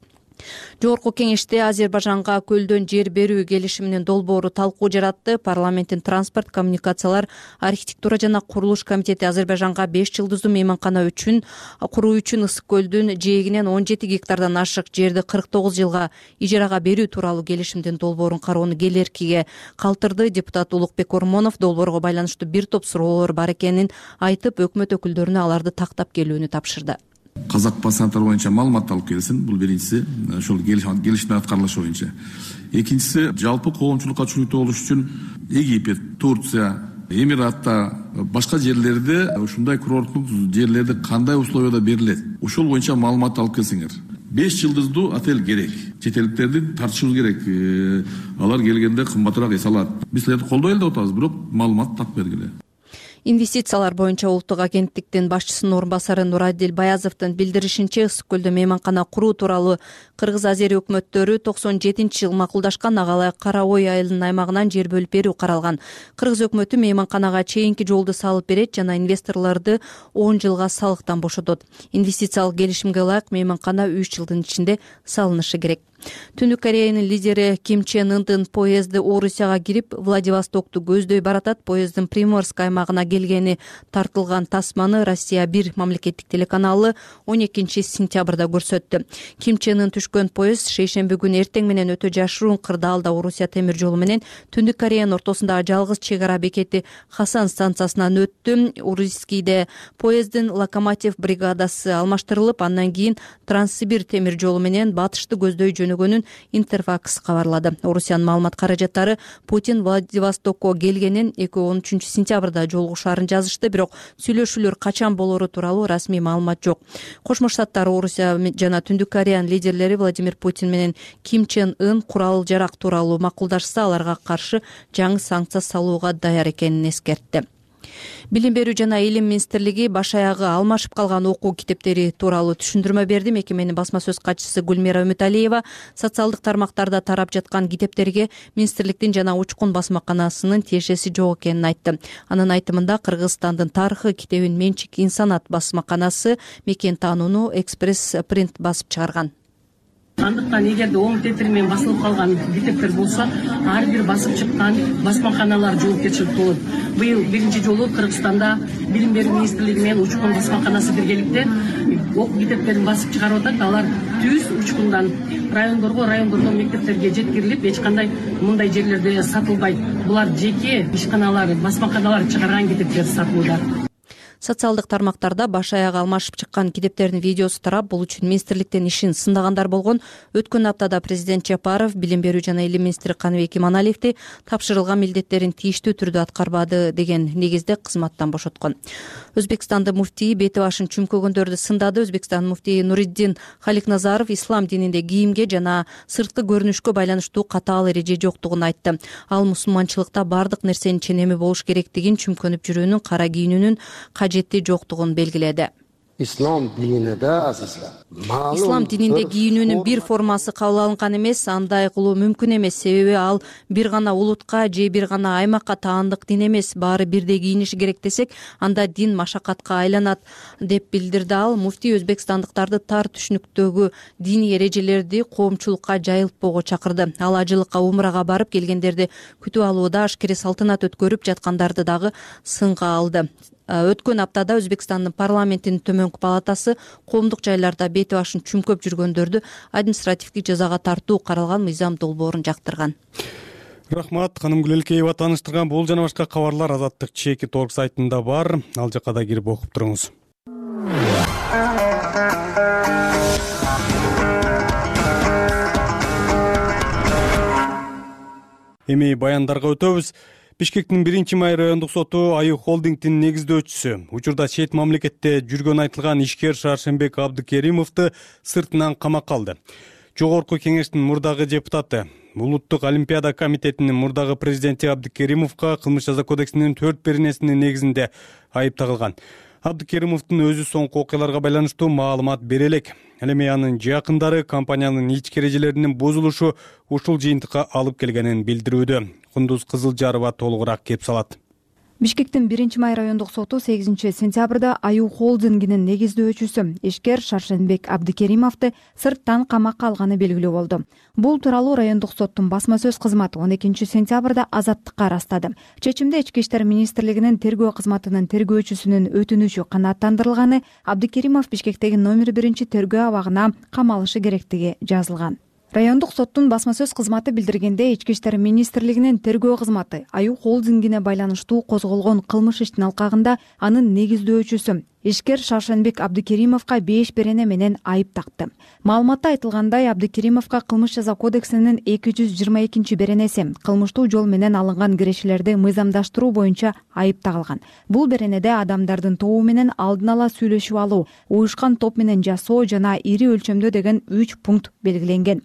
Speaker 6: Жогорку кеңеште Азербайжанга көлдөн жер берүү келишиминин долбоору талкуу жаратты. Парламенттин транспорт, коммуникациялар, архитектура жана курулуш комитети Азербайжанга беш жылдыздуу мейманкана үчүн куруу үчүн Ысык көлдүн жээгинен он жети гектардан ашык жерди кырк тогуз жылга ижарага берүү тууралуу келишимдин долбоорун кароону келеркиге калтырды. Депутат Улукбек Ормонов долбоорго байланыштуу бир топ суроолор бар экенин айтып, өкмөт өкүлдөрүнө аларды тактап келүүнү тапшырды.
Speaker 7: Казак пассаттар боюнча маалымат алып келсин. Бул биринчиси, ошол келишимдин аткарылышы боюнча. Экинчиси, жалпы коомчулукка чүнүктүү болуш үчүн Египет, Турция, Эмираттар, башка жерлерде ушундай курорттук жерлерде кандай условияда берилет? Ошол боюнча маалымат алып келсеңер. беш жылдыздуу отель керек. Чет элдиктерди тартышыбыз керек. Алар келгенде кымбатыраак эс алат. Биз силерди колдой эле деп атабыз, бирок маалымат тап бергиле.
Speaker 6: Инвестициялар боюнча улуттук агенттиктин башчысынын орун басары Нурадил Баязовдун билдиришинче, Ысык көлдө мейманкана куруу тууралуу Кыргыз Азери өкмөттөрү токсон жетинчи жылы макулдашкан. Агалай Кара Ой айылынын аймагынан жер бөлүп берүү каралган. Кыргыз өкмөтү мейманканага чейинки жолду салып берет жана инвесторлорду он жылга салыктан бошотот. Инвестициялык келишимге ылайык мейманкана үч жылдын ичинде салынышы керек. Түндүк Кореянын лидери Ким Чен Ындын поезди Орусияга кирип, Владивостокту көздөй баратат. Поезддин Приморск аймагына келгени тартылган тасманы Россия бир мамлекеттик телеканалы он экинчи сентябрда көрсөттү. Ким Чен Ын түшкөн поезд шейшемби күнү эртең менен өтө жашыруун кырдаалда Орусия темир жолу менен Түндүк Кореянын ортосундагы жалгыз чек ара бекети Хасан станциясынан өттү. Урискийде поезддин локомотив бригадасы алмаштырылып, андан кийин Транссибир темир жолу менен батышты көздөй жөнөгөнүн Интерфакс кабарлады. Орусиянын маалымат каражаттары Путин Владивостокко келгенин, экөө он үчүнчү сентябрда жолугушаарын жазышты, бирок сүйлөшүүлөр качан болору тууралуу расмий маалымат жок. Кошмо Штаттар, Орусия жана Түндүк Кореянын лидерлери Владимир Путин менен Ким Чен Ын курал жарак тууралуу макулдашса, аларга каршы жаңы санкция салууга даяр экенин эскертти. Билим берүү жана илим министрлиги баш аягы алмашып калган окуу китептери тууралуу түшүндүрмө берди. Мекеменин басма сөз катчысы Гүлмира Үмүталиева социалдык тармактарда тарап жаткан китептерге министрликтин жана Учкун басмаканасынын тиешеси жок экенин айтты. Анын айтымында Кыргызстандын тарыхы китебин Менчик Инсанат басмаканасы мекен таанууну Экспресс принт басып чыгарган.
Speaker 3: Андыктан эгерде оң тетири менен басылып калган китептер болсо, ар бир басып чыккан басмаканалар жоопкерчилик болот. Быйыл биринчи жолу Кыргызстанда билим берүү министрлиги менен Учкун басмаканасы биргеликте окуу китептерин басып чыгарып атат. Алар түз Учкундан райондорго, райондордон мектептерге жеткирилип, эч кандай мындай жерлерде сатылбайт. Булар жеке ишканалар, басмаканалар чыгарган китептер сатылууда.
Speaker 6: Социалдык тармактарда баш аягы алмашып чыккан китептердин видеосу тарап, бул үчүн министрликтин ишин сындагандар болгон. Өткөн аптада президент Жапаров билим берүү жана илим министри Каныбек Иманалиевди тапшырылган милдеттерин тийиштүү түрдө аткарбады деген негизде кызматтан бошоткон. Өзбекстандын муфтийи бети башын чүмкөгөндөрдү сындады. Өзбекстан муфтийи Нуриддин Халикназаров ислам дининде кийимге жана сырткы көрүнүшкө байланыштуу катаал эреже жоктугун айтты. Ал мусулманчылыкта бардык нерсенин ченеми болуш керектигин, чүмкөнүп жүрүүнүн, кара кийинүүнүн кажетти жоктугун белгиледи.
Speaker 8: Ислам дининде азизлер.
Speaker 6: Ислам дининде кийинүүнүн бир формасы кабыл алынган эмес, андай кылуу мүмкүн эмес, себеби ал бир гана улутка же бир гана аймакка таандык дин эмес. Баары бирдей кийиниши керек десек, анда дин машакатка айланат, деп билдирди ал. Муфтий өзбекстандыктарды тар түшүнүктөгү диний эрежелерди коомчулукка жайылтпоого чакырды. Ал ажылыкка, умрага барып келгендерди күтүп алууда ашкере салтанат өткөрүп жаткандарды дагы сынга алды. Өткөн аптада Өзбекстандын парламентинин төмөнкү палатасы коомдук жайларда бети башын чүмкөп жүргөндөрдү административдик жазага тартуу каралган мыйзам долбоорун жактырган.
Speaker 1: Рахмат, ханым Гүлелкеева тааныштырган. Бул жана башка кабарлар Азаттык чеки торг сайтында бар. Ал жакка да кирип окуп туруңуз. Эми баяндарга өтөбүз. Бишкектин биринчи май райондук соту Аю холдингдин негиздөөчүсү, учурда чет мамлекетте жүргөн айтылган ишкер Шаршенбек Абдыкеримовду сыртынан камакка алды. Жогорку кеңештин мурдагы депутаты, Улуттук олимпиада комитетинин мурдагы президенти Абдыкеримовго кылмыш жаза кодексинин төрт беренесинин негизинде айып тагылган. Абдыкеримовдун өзү соңку окуяларга байланыштуу маалымат бере элек. Ал эми анын жакындары компаниянын ички эрежелеринин бузулушу ушул жыйынтыкка алып келгенин билдирүүдө. Кундуз Кызылжарова толугураак кеп салат.
Speaker 9: Бишкектин биринчи май райондук соту сегизинчи сентябрда Аю холдингинин негиздөөчүсү ишкер Шаршенбек Абдыкеримовду сырттан камакка алганы белгилүү болду. Бул тууралуу райондук соттун басма сөз кызматы он экинчи сентябрда Азаттыкка ырастады. Чечимде Ички иштер министрлигинин тергөө кызматынын тергөөчүсүнүн өтүнүчү канааттандырылганы, Абдыкеримов Бишкектеги номер биринчи тергөө абагына камалышы керектиги жазылган. Райондук соттун басма сөз кызматы билдиргенде, Ички иштер министрлигинин тергөө кызматы Аю холдингине байланыштуу козголгон кылмыш иштин алкагында анын негиздөөчүсү ишкер Шаршенбек Абдыкеримовго беш берене менен айып такты. Маалыматта айтылгандай, Абдыкеримовго кылмыш жаза кодексинин эки жүз жыйырма экинчи беренеси кылмыштуу жол менен алынган кирешелерди мыйзамдаштыруу боюнча айып тагылган. Бул беренеде адамдардын тобу менен алдын ала сүйлөшүп алуу, уюшкан топ менен жасоо жана ири өлчөмдө деген үч пункт белгиленген.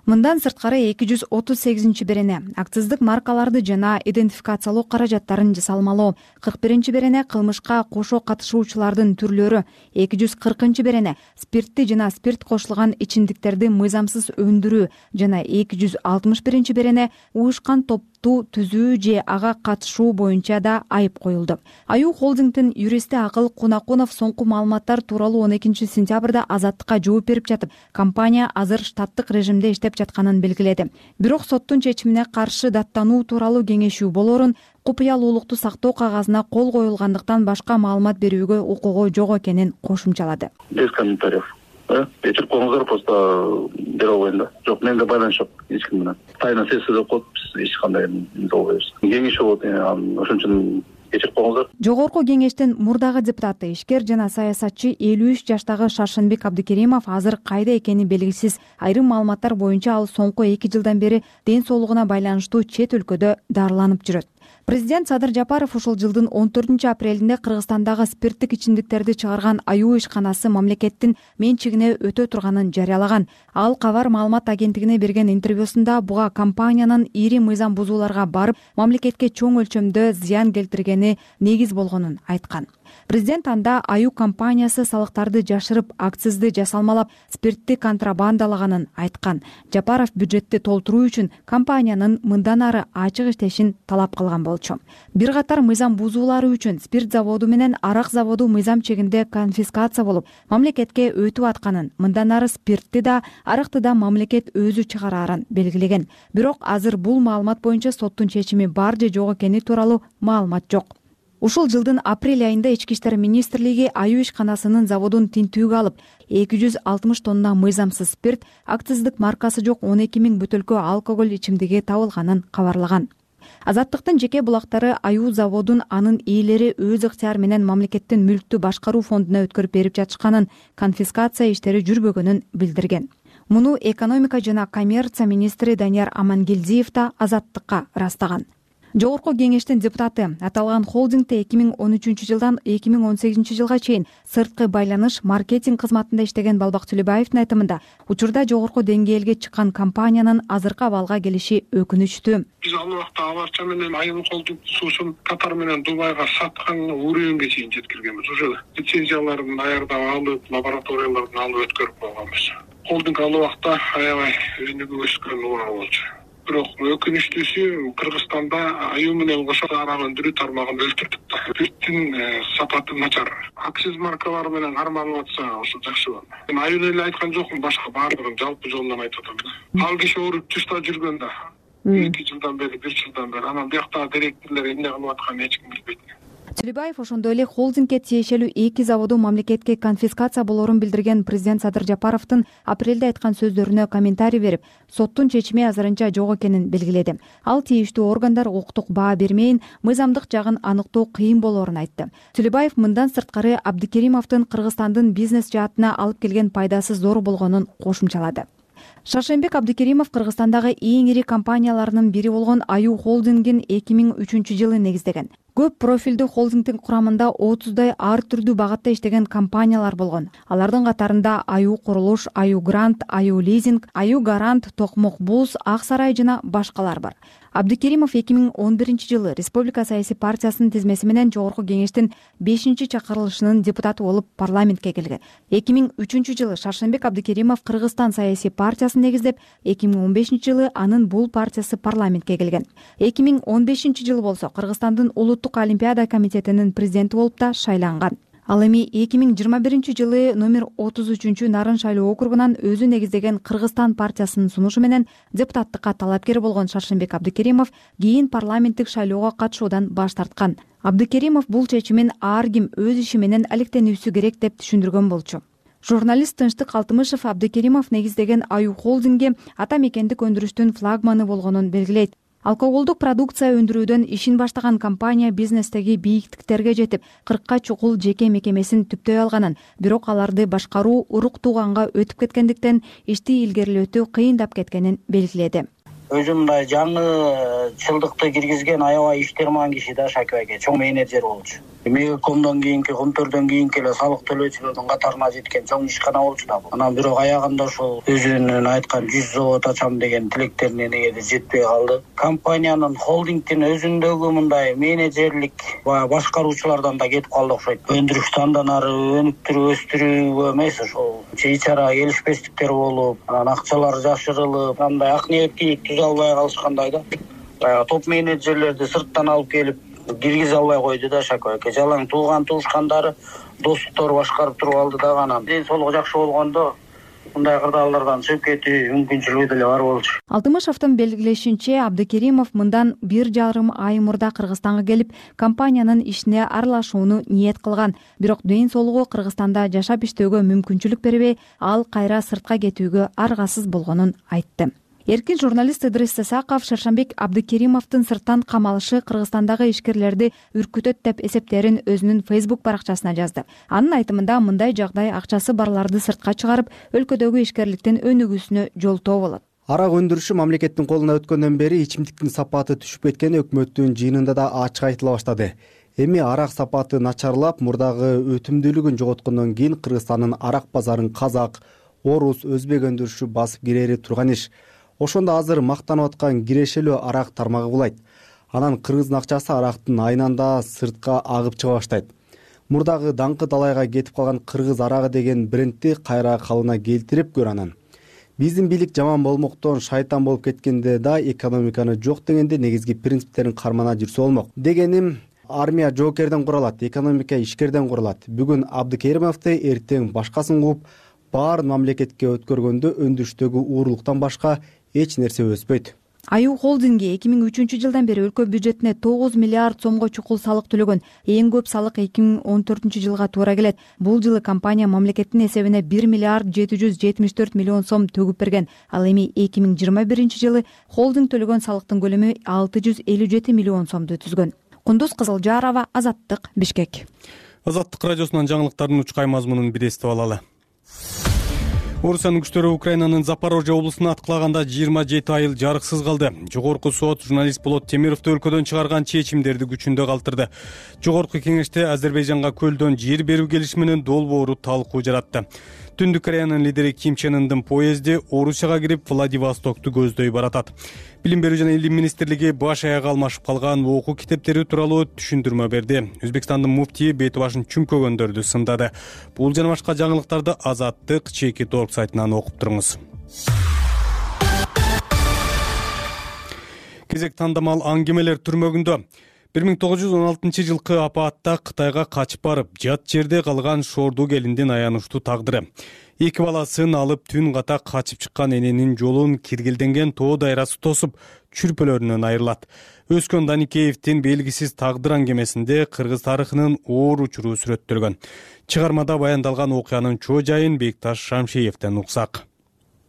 Speaker 9: Мындан сырткары эки жүз отуз сегизинчи берене акциздик маркаларды жана идентификациялоо каражаттарын жасалмалоо, кырк биринчи берене кылмышка кошо катышуучулардын түрлөрү, эки жүз кыркынчы берене спиртти жана спирт кошулган ичимдиктерди мыйзамсыз өндүрүү жана эки жүз алтымыш биринчи берене уюшкан топту түзүү же ага катышуу боюнча да айып коюлду. Аю холдингдин юристи Акыл Кунакунов соңку маалыматтар тууралуу он экинчи сентябрда Азаттыкка жооп берип жатып, компания азыр штаттык режимде иштеп жатканын белгиледи. Бирок соттун чечимине каршы даттануу тууралуу кеңешүү болорун, купуялуулукту сактоо кагазына кол коюлгандыктан башка маалымат берүүгө укугу жок экенин кошумчалады.
Speaker 10: Без комментариев. Эчип коюңуздар, просто бере албайм да. Жок, менде байланыш жок эч ким менен. Тайна сессия деп коюп, биз эч кандай эмне болбойбуз. Кеңешүү болот, ошон үчүн кечирип коюңуздар.
Speaker 9: Жогорку кеңештин мурдагы депутаты, ишкер жана саясатчы элүү үч жаштагы Шаршенбек Абдыкеримов азыр кайда экени белгисиз. Айрым маалыматтар боюнча ал соңку эки жылдан бери ден соолугуна байланыштуу чет өлкөдө дарыланып жүрөт. Президент Садыр Жапаров ушул жылдын он төртүнчү апрелинде Кыргызстандагы спирттик ичимдиктерди чыгарган аюу ишканасы мамлекеттин менчигине өтө турганын жарыялаган. Ал Кабар маалымат агенттигине берген интервьюсунда буга компаниянын ири мыйзам бузууларга барып, мамлекетке чоң өлчөмдө зыян келтиргени негиз болгонун айткан. Президент анда аюу компаниясы салыктарды жашырып, акцизди жасалмалап, спиртти контрабандалаганын айткан. Жапаров бюджетти толтуруу үчүн компаниянын мындан ары ачык иштешин талап кылган болчу. Бир катар мыйзам бузуулары үчүн спирт заводу менен арак заводу мыйзам чегинде конфискация болуп, мамлекетке өтүп атканын, мындан ары спиртти да, аракты да мамлекет өзү чыгарарын белгилеген. Бирок азыр бул маалымат боюнча соттун чечими бар же жок экени тууралуу маалымат жок. Ушул жылдын апрель айында Ички иштер министрлиги аюу ишканасынын заводун тинтүүгө алып, эки жүз алтымыш тонна мыйзамсыз спирт, акциздик маркасы жок он эки миң бөтөлкө алкоголь ичимдиги табылганын кабарлаган. Азаттыктын жеке булактары аюу заводун анын ээлери өз ыктыяры менен мамлекеттин мүлктү башкаруу фондуна өткөрүп берип жатышканын, конфискация иштери жүрбөгөнүн билдирген. Муну экономика жана коммерция министри Данияр Амангелдиев да Азаттыкка ырастаган. Жогорку кеңештин депутаты аталган холдингде эки миң он үчүнчү жылдан эки миң он сегизинчи жылга чейин сырткы байланыш маркетинг кызматында иштеген Балбак Түлөбаевдин айтымында, учурда жогорку деңгээлге чыккан компаниянын азыркы абалга келиши өкүнүчтүү.
Speaker 4: Биз ал убакта Аварча менен Айыл холдинг суусун Катар менен Дубайга саткан уровеньге чейин жеткиргенбиз. Уже лицензияларын аярдап алып, лабораториялардан алып өткөрүп койгонбуз. Холдинг ал убакта аябай өнүгүп өскөн убагы болчу. Бирок өкүнүчтүүсү Кыргызстанда аюу менен кошо арак өндүрүү тармагын өлтүрдүк да. Спирттин сапаты начар. Акциз маркалары менен карманып атса, ошо жакшы болот. Мен аюуну эле айткан жокмун, башка баардыгын жалпы жолунан айтып атам да. Ал киши ооруп тышта жүргөн да. эки жылдан бери, бир жылдан бери. Анан бияктагы директорлор эмне кылып атканын эч ким билбейт.
Speaker 9: Түлөбаев ошондой эле холдингге тиешелүү эки заводу мамлекетке конфискация болоорун билдирген президент Садыр Жапаровдун апрелде айткан сөздөрүнө комментарий берип, соттун чечими азырынча жок экенин белгиледи. Ал тийиштүү органдар укуктук баа бермейин, мыйзамдык жагын аныктоо кыйын болоорун айтты. Түлөбаев мындан сырткары Абдыкеримовдун Кыргызстандын бизнес жаатына алып келген пайдасы зор болгонун кошумчалады. Шаршенбек Абдыкеримов Кыргызстандагы эң ири компанияларынын бири болгон аюу холдингин эки миң үчүнчү жылы негиздеген. Көп профилдүү холдингдин курамында отуздай ар түрдүү багатта иштеген компаниялар болгон. Алардын катарында Аюу курулуш, Аюу грант, Аюу лизинг, Аюу гарант, Токмок буз, Ак сарай жана башкалар бар. Абдыкеримов эки миң он биринчи жылы Республика саясий партиясынын тизмеси менен жогорку кеңештин бешинчи чакырылышынын депутаты болуп парламентке келген. эки миң үчүнчү жылы Шаршенбек Абдыкеримов Кыргызстан саясий партиясын негиздеп, эки миң он бешинчи жылы анын бул партиясы парламентке келген. эки миң он бешинчи жылы болсо Кыргызстандын улуттук олимпиада комитетинин президенти болуп да шайланган. Ал эми эки миң жыйырма биринчи жылы номер отуз үчүнчү Нарын шайлоо округунан өзү негиздеген Кыргызстан партиясынын сунушу менен депутаттыкка талапкер болгон Шаршенбек Абдыкеримов кийин парламенттик шайлоого катышуудан баш тарткан. Абдыкеримов бул чечимин ар ким өз иши менен алектенүүсү керек деп түшүндүргөн болчу. Журналист Тынчтык Алтымышев Абдыкеримов негиздеген аюу холдингге ата мекендик өндүрүштүн флагманы болгонун белгилейт. Алкоголдук продукция өндүрүүдөн ишин баштаган компания бизнестеги бийиктиктерге жетип, кыркка чукул жеке мекемесин түптөй алганын, бирок аларды башкаруу урук тууганга өтүп кеткендиктен ишти илгерилетүү кыйындап кеткенин белгиледи.
Speaker 2: Өзү мындай жаңычылдыкты киргизген аябай иштерман киши да Шакибайке, чоң менеджер болчу. Мегакомдон кийинки, Комтордон кийинки эле салык төлөөчүлөрдүн катарына жеткен чоң ишкана болчу да бул. Анан бирок аягында ошол өзүнүн айткан жүз завод ачам деген тилектерине негеде жетпей калды. Компаниянын холдингдин өзүндөгү мындай менеджерлик башкаруучулардан да кетип калды окшойт. Өндүрүштү андан ары өнүктүрүп өстүрүүгө эмес, ошол чейчара келишпестиктер болуп, анан акчалар жашырылып, андай ак ниеттүүлүк түзө албай калышкандай да. Топ менеджерлерди сырттан алып келип киргизе албай койду да Шакибайке. Жалаң тууган туушкандары, достуктор башкарып туруп алды да анан. Ден соолугу жакшы болгондо мындай кырдаалдардан чыгып кетүү мүмкүнчүлүгү деле бар болчу.
Speaker 9: Алтымышевдин белгилешинче, Абдыкеримов мындан бир жарым ай мурда Кыргызстанга келип, компаниянын ишине аралашууну ниет кылган. Бирок ден соолугу Кыргызстанда жашап иштөөгө мүмкүнчүлүк бербей, ал кайра сыртка кетүүгө аргасыз болгонун айтты. Эркин журналист Ыдрис Исаков Шаршанбек Абдыкеримовдун сырттан камалышы Кыргызстандагы ишкерлерди үркүтөт деп эсептерин өзүнүн Facebook баракчасына жазды. Анын айтымында мындай жагдай акчасы барларды сыртка чыгарып, өлкөдөгү ишкерликтин өнүгүүсүнө жолтоо болот.
Speaker 11: Арак өндүрүшү мамлекеттин колуна өткөндөн бери ичимдиктин сапаты түшүп кеткени өкмөттүн жыйынында да ачык айтыла баштады. Эми арак сапаты начарлап, мурдагы өтүмдүүлүгүн жоготкондон кийин Кыргызстандын арак базарын казак, орус, өзбек өндүрүшү басып кирери турган иш. Ошондо азыр мактанып аткан кирешелүү арак тармагы булайт. Анан кыргыздын акчасы арактын айнанда сыртка агып чыга баштайт. Мурдагы даңкы далайга кетип калган кыргыз арагы деген брендти кайра калыбына келтирип көр анан. Биздин бийлик жаман болмоктон шайтан болуп кеткенде да экономиканы жок дегенде негизги принциптерин кармана жүрсө болмок. Дегеним, армия жоокерден куралат, экономика ишкерден куралат. Бүгүн Абдыкеримовду, эртең башкасын кууп, баарын мамлекетке өткөргөндө өндүрүштөгү уурулуктан башка эч нерсе өспөйт.
Speaker 9: Аю холдинги эки миң үчүнчү жылдан бери өлкө бюджетине тогуз миллиард сомго чукул салык төлөгөн. Эң көп салык эки миң он төртүнчү жылга туура келет. Бул жылы компания мамлекеттин эсебине бир миллиард жети жүз жетимиш төрт миллион сом төгүп берген. Ал эми эки миң жыйырма биринчи жылы холдинг төлөгөн салыктын көлөмү алты жүз элүү жети миллион сомду түзгөн. Кундуз Кызылжарова, Азаттык, Бишкек.
Speaker 1: Азаттык радиосунан жаңылыктардын учкай мазмунун бир эстип алалы. Орусиянын күчтөрү Украинанын Запорожье облусуна аткылаганда жыйырма жети айыл жарыксыз калды. Жогорку сот журналист Болот Темировду өлкөдөн чыгарган чечимдерди күчүндө калтырды. Жогорку кеңеште Азербайжанга көлдөн жер берүү келишими менен долбоору талкуу жаратты. Түндүк Кореянын лидери Ким Чен Ындын поезди Орусияга кирип Владивостокту көздөй баратат. Билим берүү жана илим министрлиги баш аяга алмашып калган окуу китептери тууралуу түшүндүрмө берди. Өзбекстандын муфтийи бети башын чүмкөгөндөрдү сындады. Бул жана башка жаңылыктарды Азаттык чеки торг сайтынан окуп туруңуз. Кезек тандамал аңгемелер түрмөгүндө. бир миң тогуз жүз он алтынчы жылкы апаатта Кытайга качып барып, жат жерде калган Шорду келиндин аянычтуу тагдыры. Эки баласын алып түн ката качып чыккан эненин жолун киргелденген тоо дайрасы тосуп, чүрпөлөрүнөн айрылат. Өскөн Даникеевдин белгисиз тагдыр аңгемесинде кыргыз тарыхынын оор учуру сүрөттөлгөн. Чыгармада баяндалган окуянын чоо жайын Бекташ Шамшиевден уксак.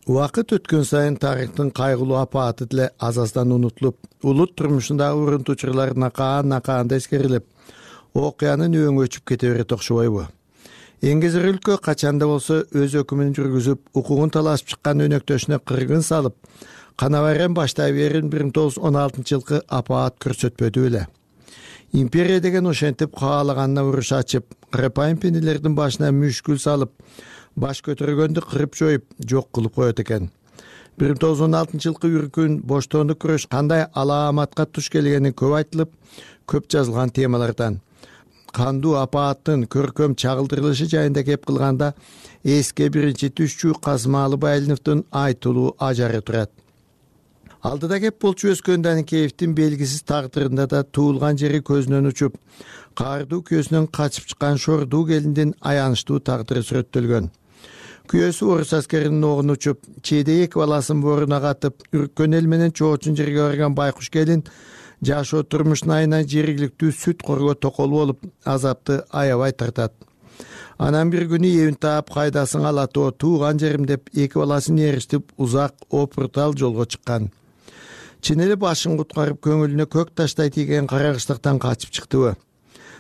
Speaker 12: Убакыт өткөн сайын тарыхтын кайгылуу апааты деле аз аздан унутулуп, улут турмушундагы урунтуучулар накаан-накаанда эскерилип, окуянын өңү өчүп кете берет окшобойбу? Эңгезер өлкө качанда болсо өз өкүмүн жүргүзүп, укугун талашып чыккан өнөктөшүнө кыргын салып, канабарен баштай берин бир миң тогуз жүз он алтынчы жылкы апаат көрсөтпөдү эле. Империя деген ошентип каалаганына уруш ачып, кырапайым пенелердин башына мүшкүл салып, баш көтөргөндү кырып жоюп, жок кылып коет экен. бир миң тогуз жүз он алтынчы жылкы үркүн боштоондук күрөш кандай алааматка туш келгени көп айтылып, көп жазылган темалардан. Кандуу апааттын көркөм чагылдырылышы жайында кеп кылганда эске биринчи түшчү Казмалы Байлиновдун айтылуу ажары турат. Алдыда кеп болчу өскөн Даникеевдин белгисиз тагдырында да туулган жери көзүнөн учуп, каардуу көзүнөн качып чыккан Шорду келиндин аянычтуу тагдыры сүрөттөлгөн. Күйөөсү орус аскеринин огуна учуп, чейде эки баласын боруна катып, үрккөн эл менен чоочун жерге барган байкуш келин жашоо турмушун айынан жергиликтүү сүт корго токол болуп, азапты аябай тартат. Анан бир күнү эбин таап кайдасын алатоо тууган жерим деп эки баласын эриштип узак опуртал жолго чыккан. Чын эле башын куткарып көңүлүнө көк таштай тийген карагычтыктан качып чыктыбы?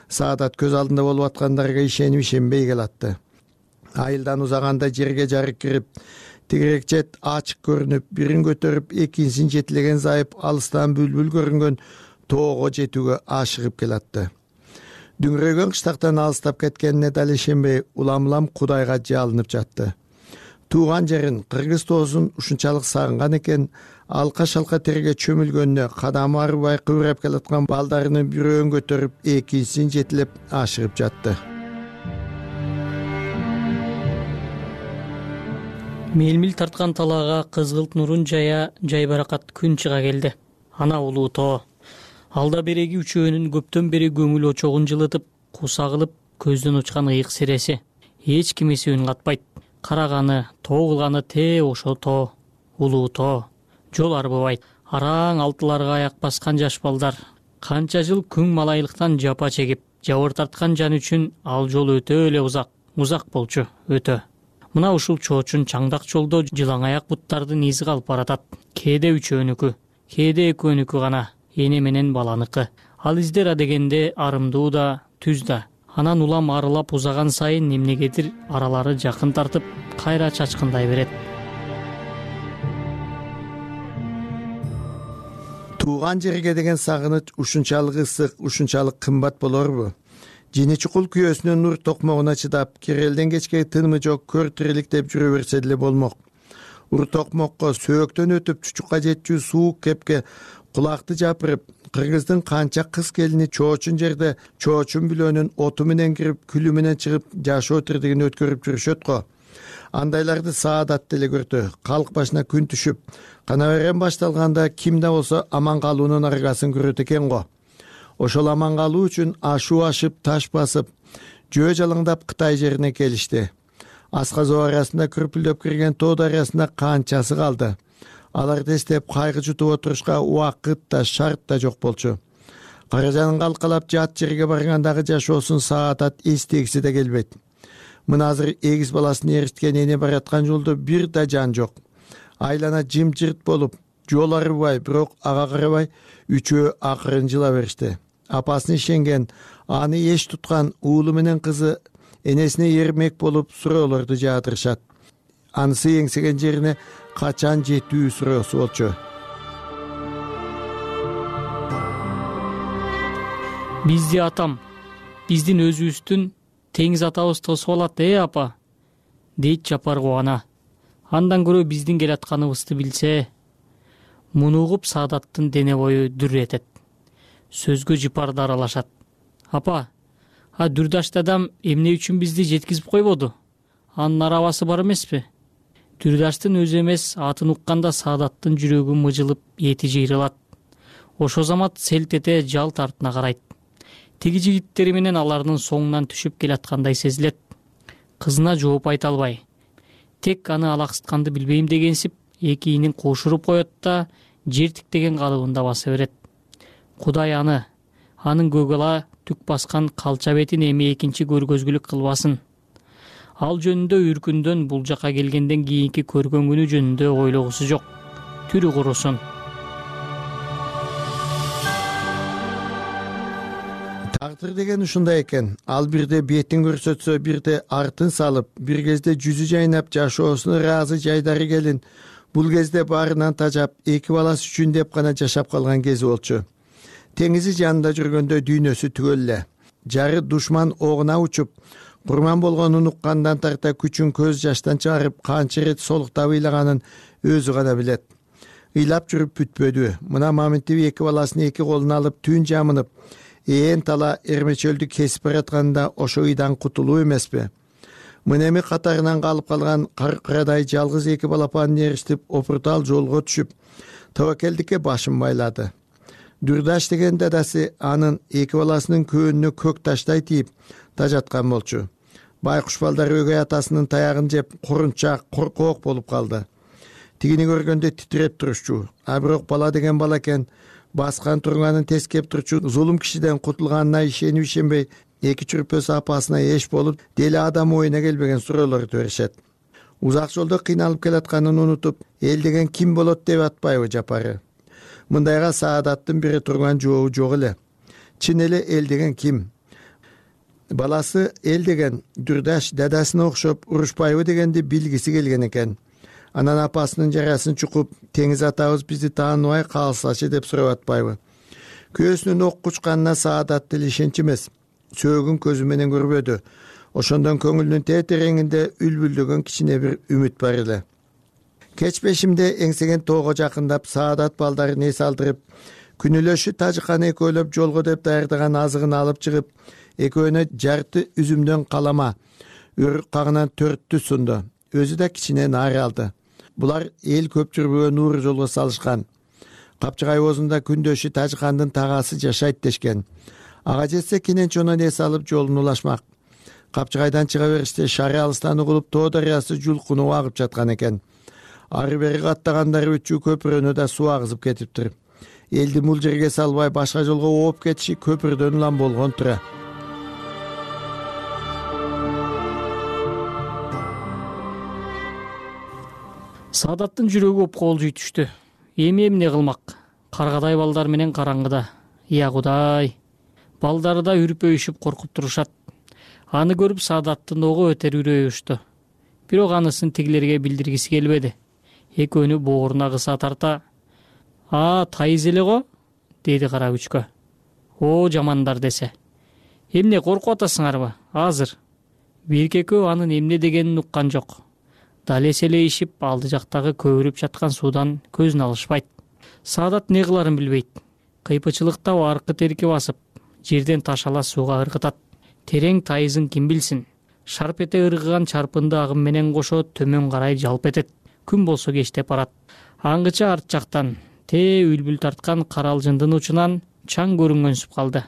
Speaker 12: Саадат көз алдында болуп аткандарга ишенип ишенбей келатты. Айылдан узаганда жерге жарык кирип, тигирек чет ачык көрүнүп, бирин көтөрүп, экинчисин жетилеген зайып алыстан бүлбүл көрүнгөн тоого жетүүгө ашыгып келатты. Дүңрөгөн кыштактан алыстап кеткенине дал ишенбей, улам-улам Кудайга жалынып жатты. Тууган жерин, кыргыз тоосун ушунчалык сагынган экен, алка-шалка терге чөмүлгөнүнө кадамы арыбай кыбырап келаткан балдарынын бирөөн көтөрүп, экинчисин жетилеп ашыгып жатты.
Speaker 5: Мелмил тарткан талаага кызгылт нурун жая жайбаракат күн чыга келди. Ана улуу тоо. Алда береги үчөөнүн көптөн бери көңүл очогун жылытып, кусагылып, көздөн учкан ыйык сереси. Эч ким эсебин катпайт. Караганы, тоо кылганы те ошо тоо. Улуу тоо. Жол арбыбайт. Араң алтыларга аяк баскан жаш балдар. Канча жыл күң малайлыктан жапа чегип, жабыр тарткан жан үчүн ал жол өтө эле узак. Узак болчу, өтө. Мына ушул чоочун чаңдак жолдо жылаң аяк буттардын изи калып баратат. кээде үчөөнүкү, кээде экөөнүкү гана, эне менен баланыкы. Ал издер адегенде арымдуу да, түз да. Анан улам арылап узаган сайын эмнегедир аралары жакын тартып, кайра чачкындай берет.
Speaker 12: Тууган жерге деген сагыныч ушунчалык ысык, ушунчалык кымбат болорбу? Жини чукул күйөөсүнүн нур токмогуна чыдап, кирелден кечке тынымы жок көр тирилик деп жүрө берсе деле болмок. Ур токмокко сөөктөн өтүп чучукка жетчү суук кепке кулакты жапырып, кыргыздын канча кыз келини чоочун жерде чоочун бүлөнүн оту менен кирип, күлү менен чыгып, жашоо тирдигин өткөрүп жүрүшөт го. Андайларды саадат деле көрдү. Калк башына күн түшүп, кана берен башталганда ким да болсо аман калуунун аргасын көрөт экен го. Ошол аман калуу үчүн ашуу ашып, таш басып, жөө жалаңдап Кытай жерине келишти. Асказоо арасында күрпүлдөп кирген тоо дарыясында канчасы калды. Алар тестеп кайгы жутуп отурушка убакыт да, шарт да жок болчу. Каражанын калкалап жат жерге баргандагы жашоосун саадат эстегиси да келбейт. Мына азыр эгиз баласын эриткен эне бараткан жолдо бир да жан жок. Айлана жымжырт болуп, жол арыбай, бирок ага карабай, үчөө акырын жыла беришти. Апасын ишенген, аны эч туткан уулу менен кызы энесине эрмек болуп суроолорду жаадырышат. Анысы эңсеген жерине качан жетүү суроосу болчу.
Speaker 5: Бизди атам, биздин өзүбүздүн теңиз атабыз тосуп алат, э апа, дейт Жапар кубана. Андан көрө биздин келатканыбызды билсе, муну угуп Саадаттын дене бою дүр этет. Сөзгө жыпарды аралашат. Апа, а Дүрдаш дадам эмне үчүн бизди жеткизип койбоду? Анын арабасы бар эмеспи? Дүрдаштын өзү эмес, атын укканда Саадаттын жүрөгү мыжылып, эти жыйрылат. Ошо замат селт эте жалт артына карайт. Тиги жигиттери менен алардын соңунан түшүп келаткандай сезилет. Кызына жооп айта албай, тек аны алаксытканды билбейм дегенсип, эки ийнин кошуруп коет да, жер тиктеген калыбында баса берет. Кудай аны, анын көгала түк баскан калча бетин эми экинчи көргөзгүлүк кылбасын. Ал жөнүндө үркүндөн бул жака келгенден кийинки көргөн күнү жөнүндө ойлогусу жок. Түрү курусун.
Speaker 12: Тагдыр деген ушундай экен. Ал бирде бетин көрсөтсө, бирде артын салып, бир кезде жүзү жайнап, жашоосуна ыраазы жайдары келин. Бул кезде баарынан тажап, эки баласы үчүн деп гана жашап калган кези болчу. Теңизи жанында жүргөндө дүйнөсү түгөл эле. Жары душман огуна учуп, курман болгонун уккандан тарта күчүн көз жаштан чыгарып, канча ирет солуктап ыйлаганын өзү гана билет. Ыйлап жүрүп бүтпөдү. Мына Маминтип эки баласын эки колуна алып түн жамынып, ээн тала эрмечөлдү кесип баратканда ошо ыйдан кутулуу эмеспи? Мына эми катарынан калып калган каркырадай жалгыз эки балапанын эриштип, опуртал жолго түшүп, тобокелдикке башын байлады. Дүрдаш деген дадасы анын эки баласынын көөнүнө көк таштай тийип тажаткан болчу. Байкуш балдар өгөй атасынын таягын жеп, курунчак, коркоок болуп калды. Тигини көргөндө титиреп турушчу. А бирок бала деген бала экен, баскан турганын тескеп турчу зулум кишиден кутулганына ишенип ишенбей, эки чүрпөсү апасына эш болуп, деле адам оюна келбеген суроолорду беришет. Узак жолдо кыйналып келатканын унутуп, эл деген ким болот деп атпайбы Жапары? Мындайга Саадаттын бире турган жообу жок эле. Чын эле эл деген ким? Баласы эл деген Дүрдаш дадасына окшоп урушпайбы дегенди билгиси келген экен. Анан апасынын жарасын чукуп, теңиз атабыз бизди тааныбай калсачы деп сурап атпайбы? Көөсүнүн ок кучканына Саадат деле ишенч эмес. Сөөгүн көзү менен көрбөдү. Ошондон көңүлүнүн тетереңинде үлбүлдөгөн кичине бир үмүт бар эле. Кеч бешимде эңсеген тоого жакындап, Саадат балдарын эс алдырып, күнүлөшү Тажыканы экөөлөп жолго деп даярдаган азыгын алып чыгып, экөөнө жарты үзүмдөн калама, өрүк кагынан төрттү сунду. Өзү да кичине наар алды. Булар эл көп жүрбөгөн уур жолго салышкан. Капчыгай оозунда күндөшү Тажыкандын тагасы жашайт дешкен. Ага жетсе Кененчонон эс алып жолун улашмак. Капчыгайдан чыга бериште шары алыстан угулуп Тоо дарыясы жулкунуп агып жаткан экен. Ары бери каттагандары үчүү көпүрөнү да суу агызып кетиптир. Элди бул жерге салбай башка жолго ооп кетиши көпүрдөн улам болгон тура.
Speaker 5: Саадаттын жүрөгү опколжуй түштү. Эми эмне кылмак? Каргадай балдар менен караңгыда. Я Кудай. Балдары да үрпөйүшүп коркуп турушат. Аны көрүп Саадаттын ого өтөр үрөйү учту. Бирок анысын тигилерге билдиргиси келбеди. Экөөнү бооруна кыса тарта: "А, тайыз эле го?" деди кара күчкө. "О, жамандар" десе. "Эмне коркуп атасыңарбы? Азыр." Бирке экөө анын эмне дегенин уккан жок. Дал эселейишип, алды жактагы көбүрүп жаткан суудан көзүн алышпайт. Саадат не кыларын билбейт. Кыйпычылыкта аркы терки басып, жерден таш ала сууга ыргытат. Терең тайызын ким билсин? Шарп эте ыргыган чарпынды агым менен кошо төмөн карай жалп этет. Күн болсо кечтеп барат. Аңгыча арт жактан тээ үлбүл тарткан каралжындын учунан чаң көрүнгөнсүп калды.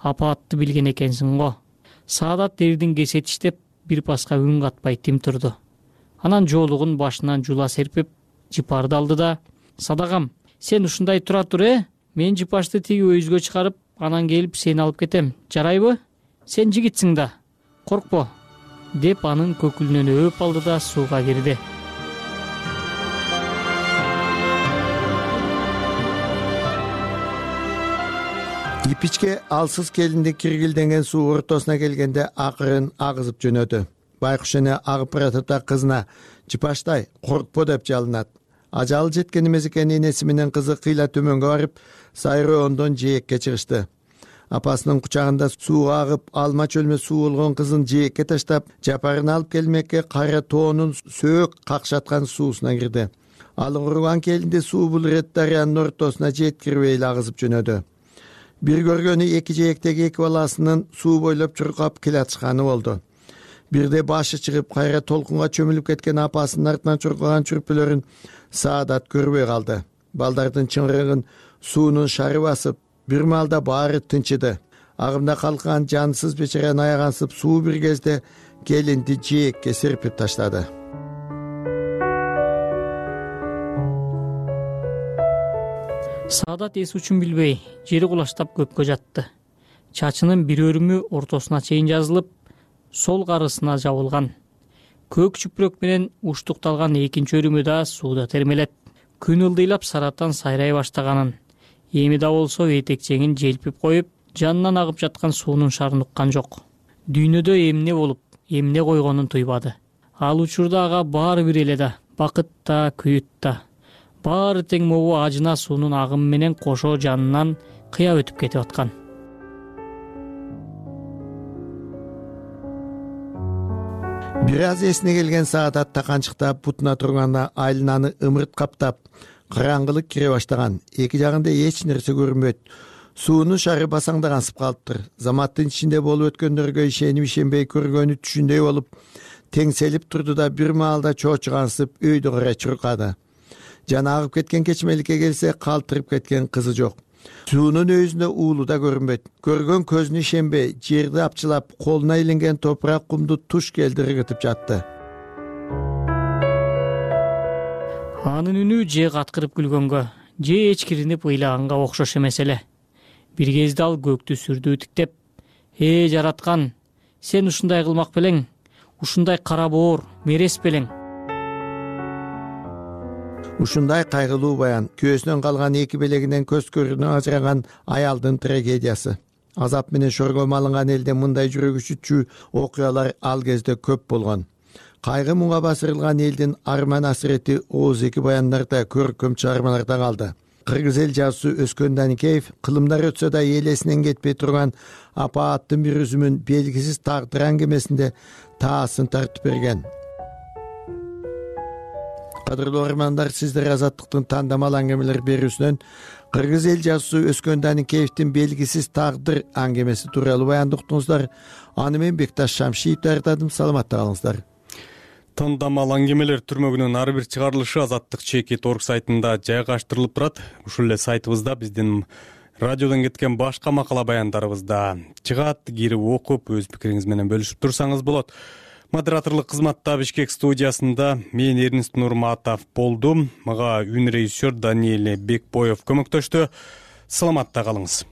Speaker 5: Апаатты билген экенсиң го. Саадат дердин кесетиштеп, бир паска үн катпай тим турду. Анан жоолугун башынан жула серпип, жыпарды алды да: "Садагам, сен ушундай тура тур, э? Мен жыпашты тиги өйүзгө чыгарып, анан келип сени алып кетем. Жарайбы? Сен жигитсиң да. Коркпо", деп анын көкүлүнөн өөп алды да сууга кирди.
Speaker 12: Ипичке алсыз келинди киргилденген суу ортосуна келгенде акырын агызып жөнөдү. Байкуш эне агып баратып да кызына: "Жыпаштай, коркпо" деп жалынат. Ажалы жеткен эмес экен энеси менен кызы кыйла төмөнгө барып, сайроондон жээкке чыгышты. Апасынын кучагында сууга агып, алма чөлмө суу болгон кызын жээкке таштап, жапарын алып келмекке кара тоонун сөөк какшаткан суусуна кирди. Алыңгырган келинди суу бул ирет дарыянын ортосуна жеткирбей эле агызып жөнөдү. Бир көргөнү эки жээктеги эки баласынын суу бойлоп чуркап келатышканы болду. Бирде башы чыгып, кайра толкунга чөмүлүп кеткен апасынын артынан чуркаган чүрпөлөрүн Саадат көрбөй калды. Балдардын чыңгырыгын суунун шары басып, бир маалда баары тынчыды. Агымда калкан жансыз бечараны аягансып, суу бир кезде келинди жээкке серпип таштады.
Speaker 5: Саадат эс учун билбей, жери кулаштап көккө жатты. Чачынын бир өрүмү ортосуна чейин жазылып, сол карысына жабылган. Көк чүпүрөк менен уштукталган экинчи өрүмү да сууда термелет. Күн ылдыйлап сараттан сайрай баштаганын, эми да болсо этекчеңин желпип коюп, жанынан агып жаткан суунун шарын уккан жок. Дүйнөдө эмне болуп, эмне койгонун туйбады. Ал учурда ага баары бир эле да, бакыт да, күйүт да. Баары тең могу ажына суунун агымы менен кошо жанынан кыя өтүп кетип аткан.
Speaker 12: Бир аз эсине келген Саадат таканчыктап бутуна турганда айлананы ымырт каптап, караңгылык кире баштаган. Эки жагында эч нерсе көрүнбөйт. Суунун шары басаңдагансып калыптыр. Заматтын ичинде болуп өткөндөргө ишенип ишенбей көргөнү түшүндөй болуп, теңселип турду да бир маалда чоочугансып өйдө карай чуркады. Жана агып кеткен кечмеликке келсе, калтырып кеткен кызы жок. Суунун өйүзүндө уулу да көрүнбөйт. Көргөн көзүнө ишенбей, жерди апчылап, колуна илинген топурак кумду туш келди ыргытып жатты.
Speaker 5: Анын үнү же каткырып күлгөнгө, же эчкиринип ыйлаганга окшош эмес эле. Бир кезде ал көктү сүрдүү тиктеп: "Э, жараткан, сен ушундай кылмак белең, ушундай кара боор, мерес белең."
Speaker 12: Ушундай кайгылуу баян, күйөөсүнөн калган эки белегинен көз көрүнө ажыраган аялдын трагедиясы. Азап менен шорго малынган элде мындай жүрөк үчүтчү окуялар ал кезде көп болгон. Кайгы муңга басырылган элдин арман асырети ооз-эки баяндарда, көркөм чыгармаларда калды. Кыргыз эл жазуусу Өскөн Даникеев кылымдар өтсө да элесинен кетпей турган апааттын бир үзүмүн белгисиз тагдыр аңгемесинде таасын тартып берген. Кадырлуу армандар, сиздер Азаттыктын тандамал аңгемелер берүүсүнөн Кыргыз эл жазуусу Өскөн Даникеевдин белгисиз тагдыр аңгемеси тууралуу баянды уктуңуздар. Аны мен Бекташ Шамшиев даярдадым. Саламатта калыңыздар.
Speaker 1: Тандамал аңгемелер түрмөгүнүн ар бир чыгарылышы Азаттык чекит точка орг сайтында жайгаштырылып турат. Ушул эле сайтыбызда биздин радиодон кеткен башка макала баяндарыбыз да чыгат. Кирип окуп, өз пикириңиз менен бөлүшүп турсаңыз болот. Модераторлук кызматта Бишкек студиясында мен Эрнест Нурматов болдум. Мага үн режиссер Даниэль Бекбоев көмөктөштү. Саламатта калыңыз.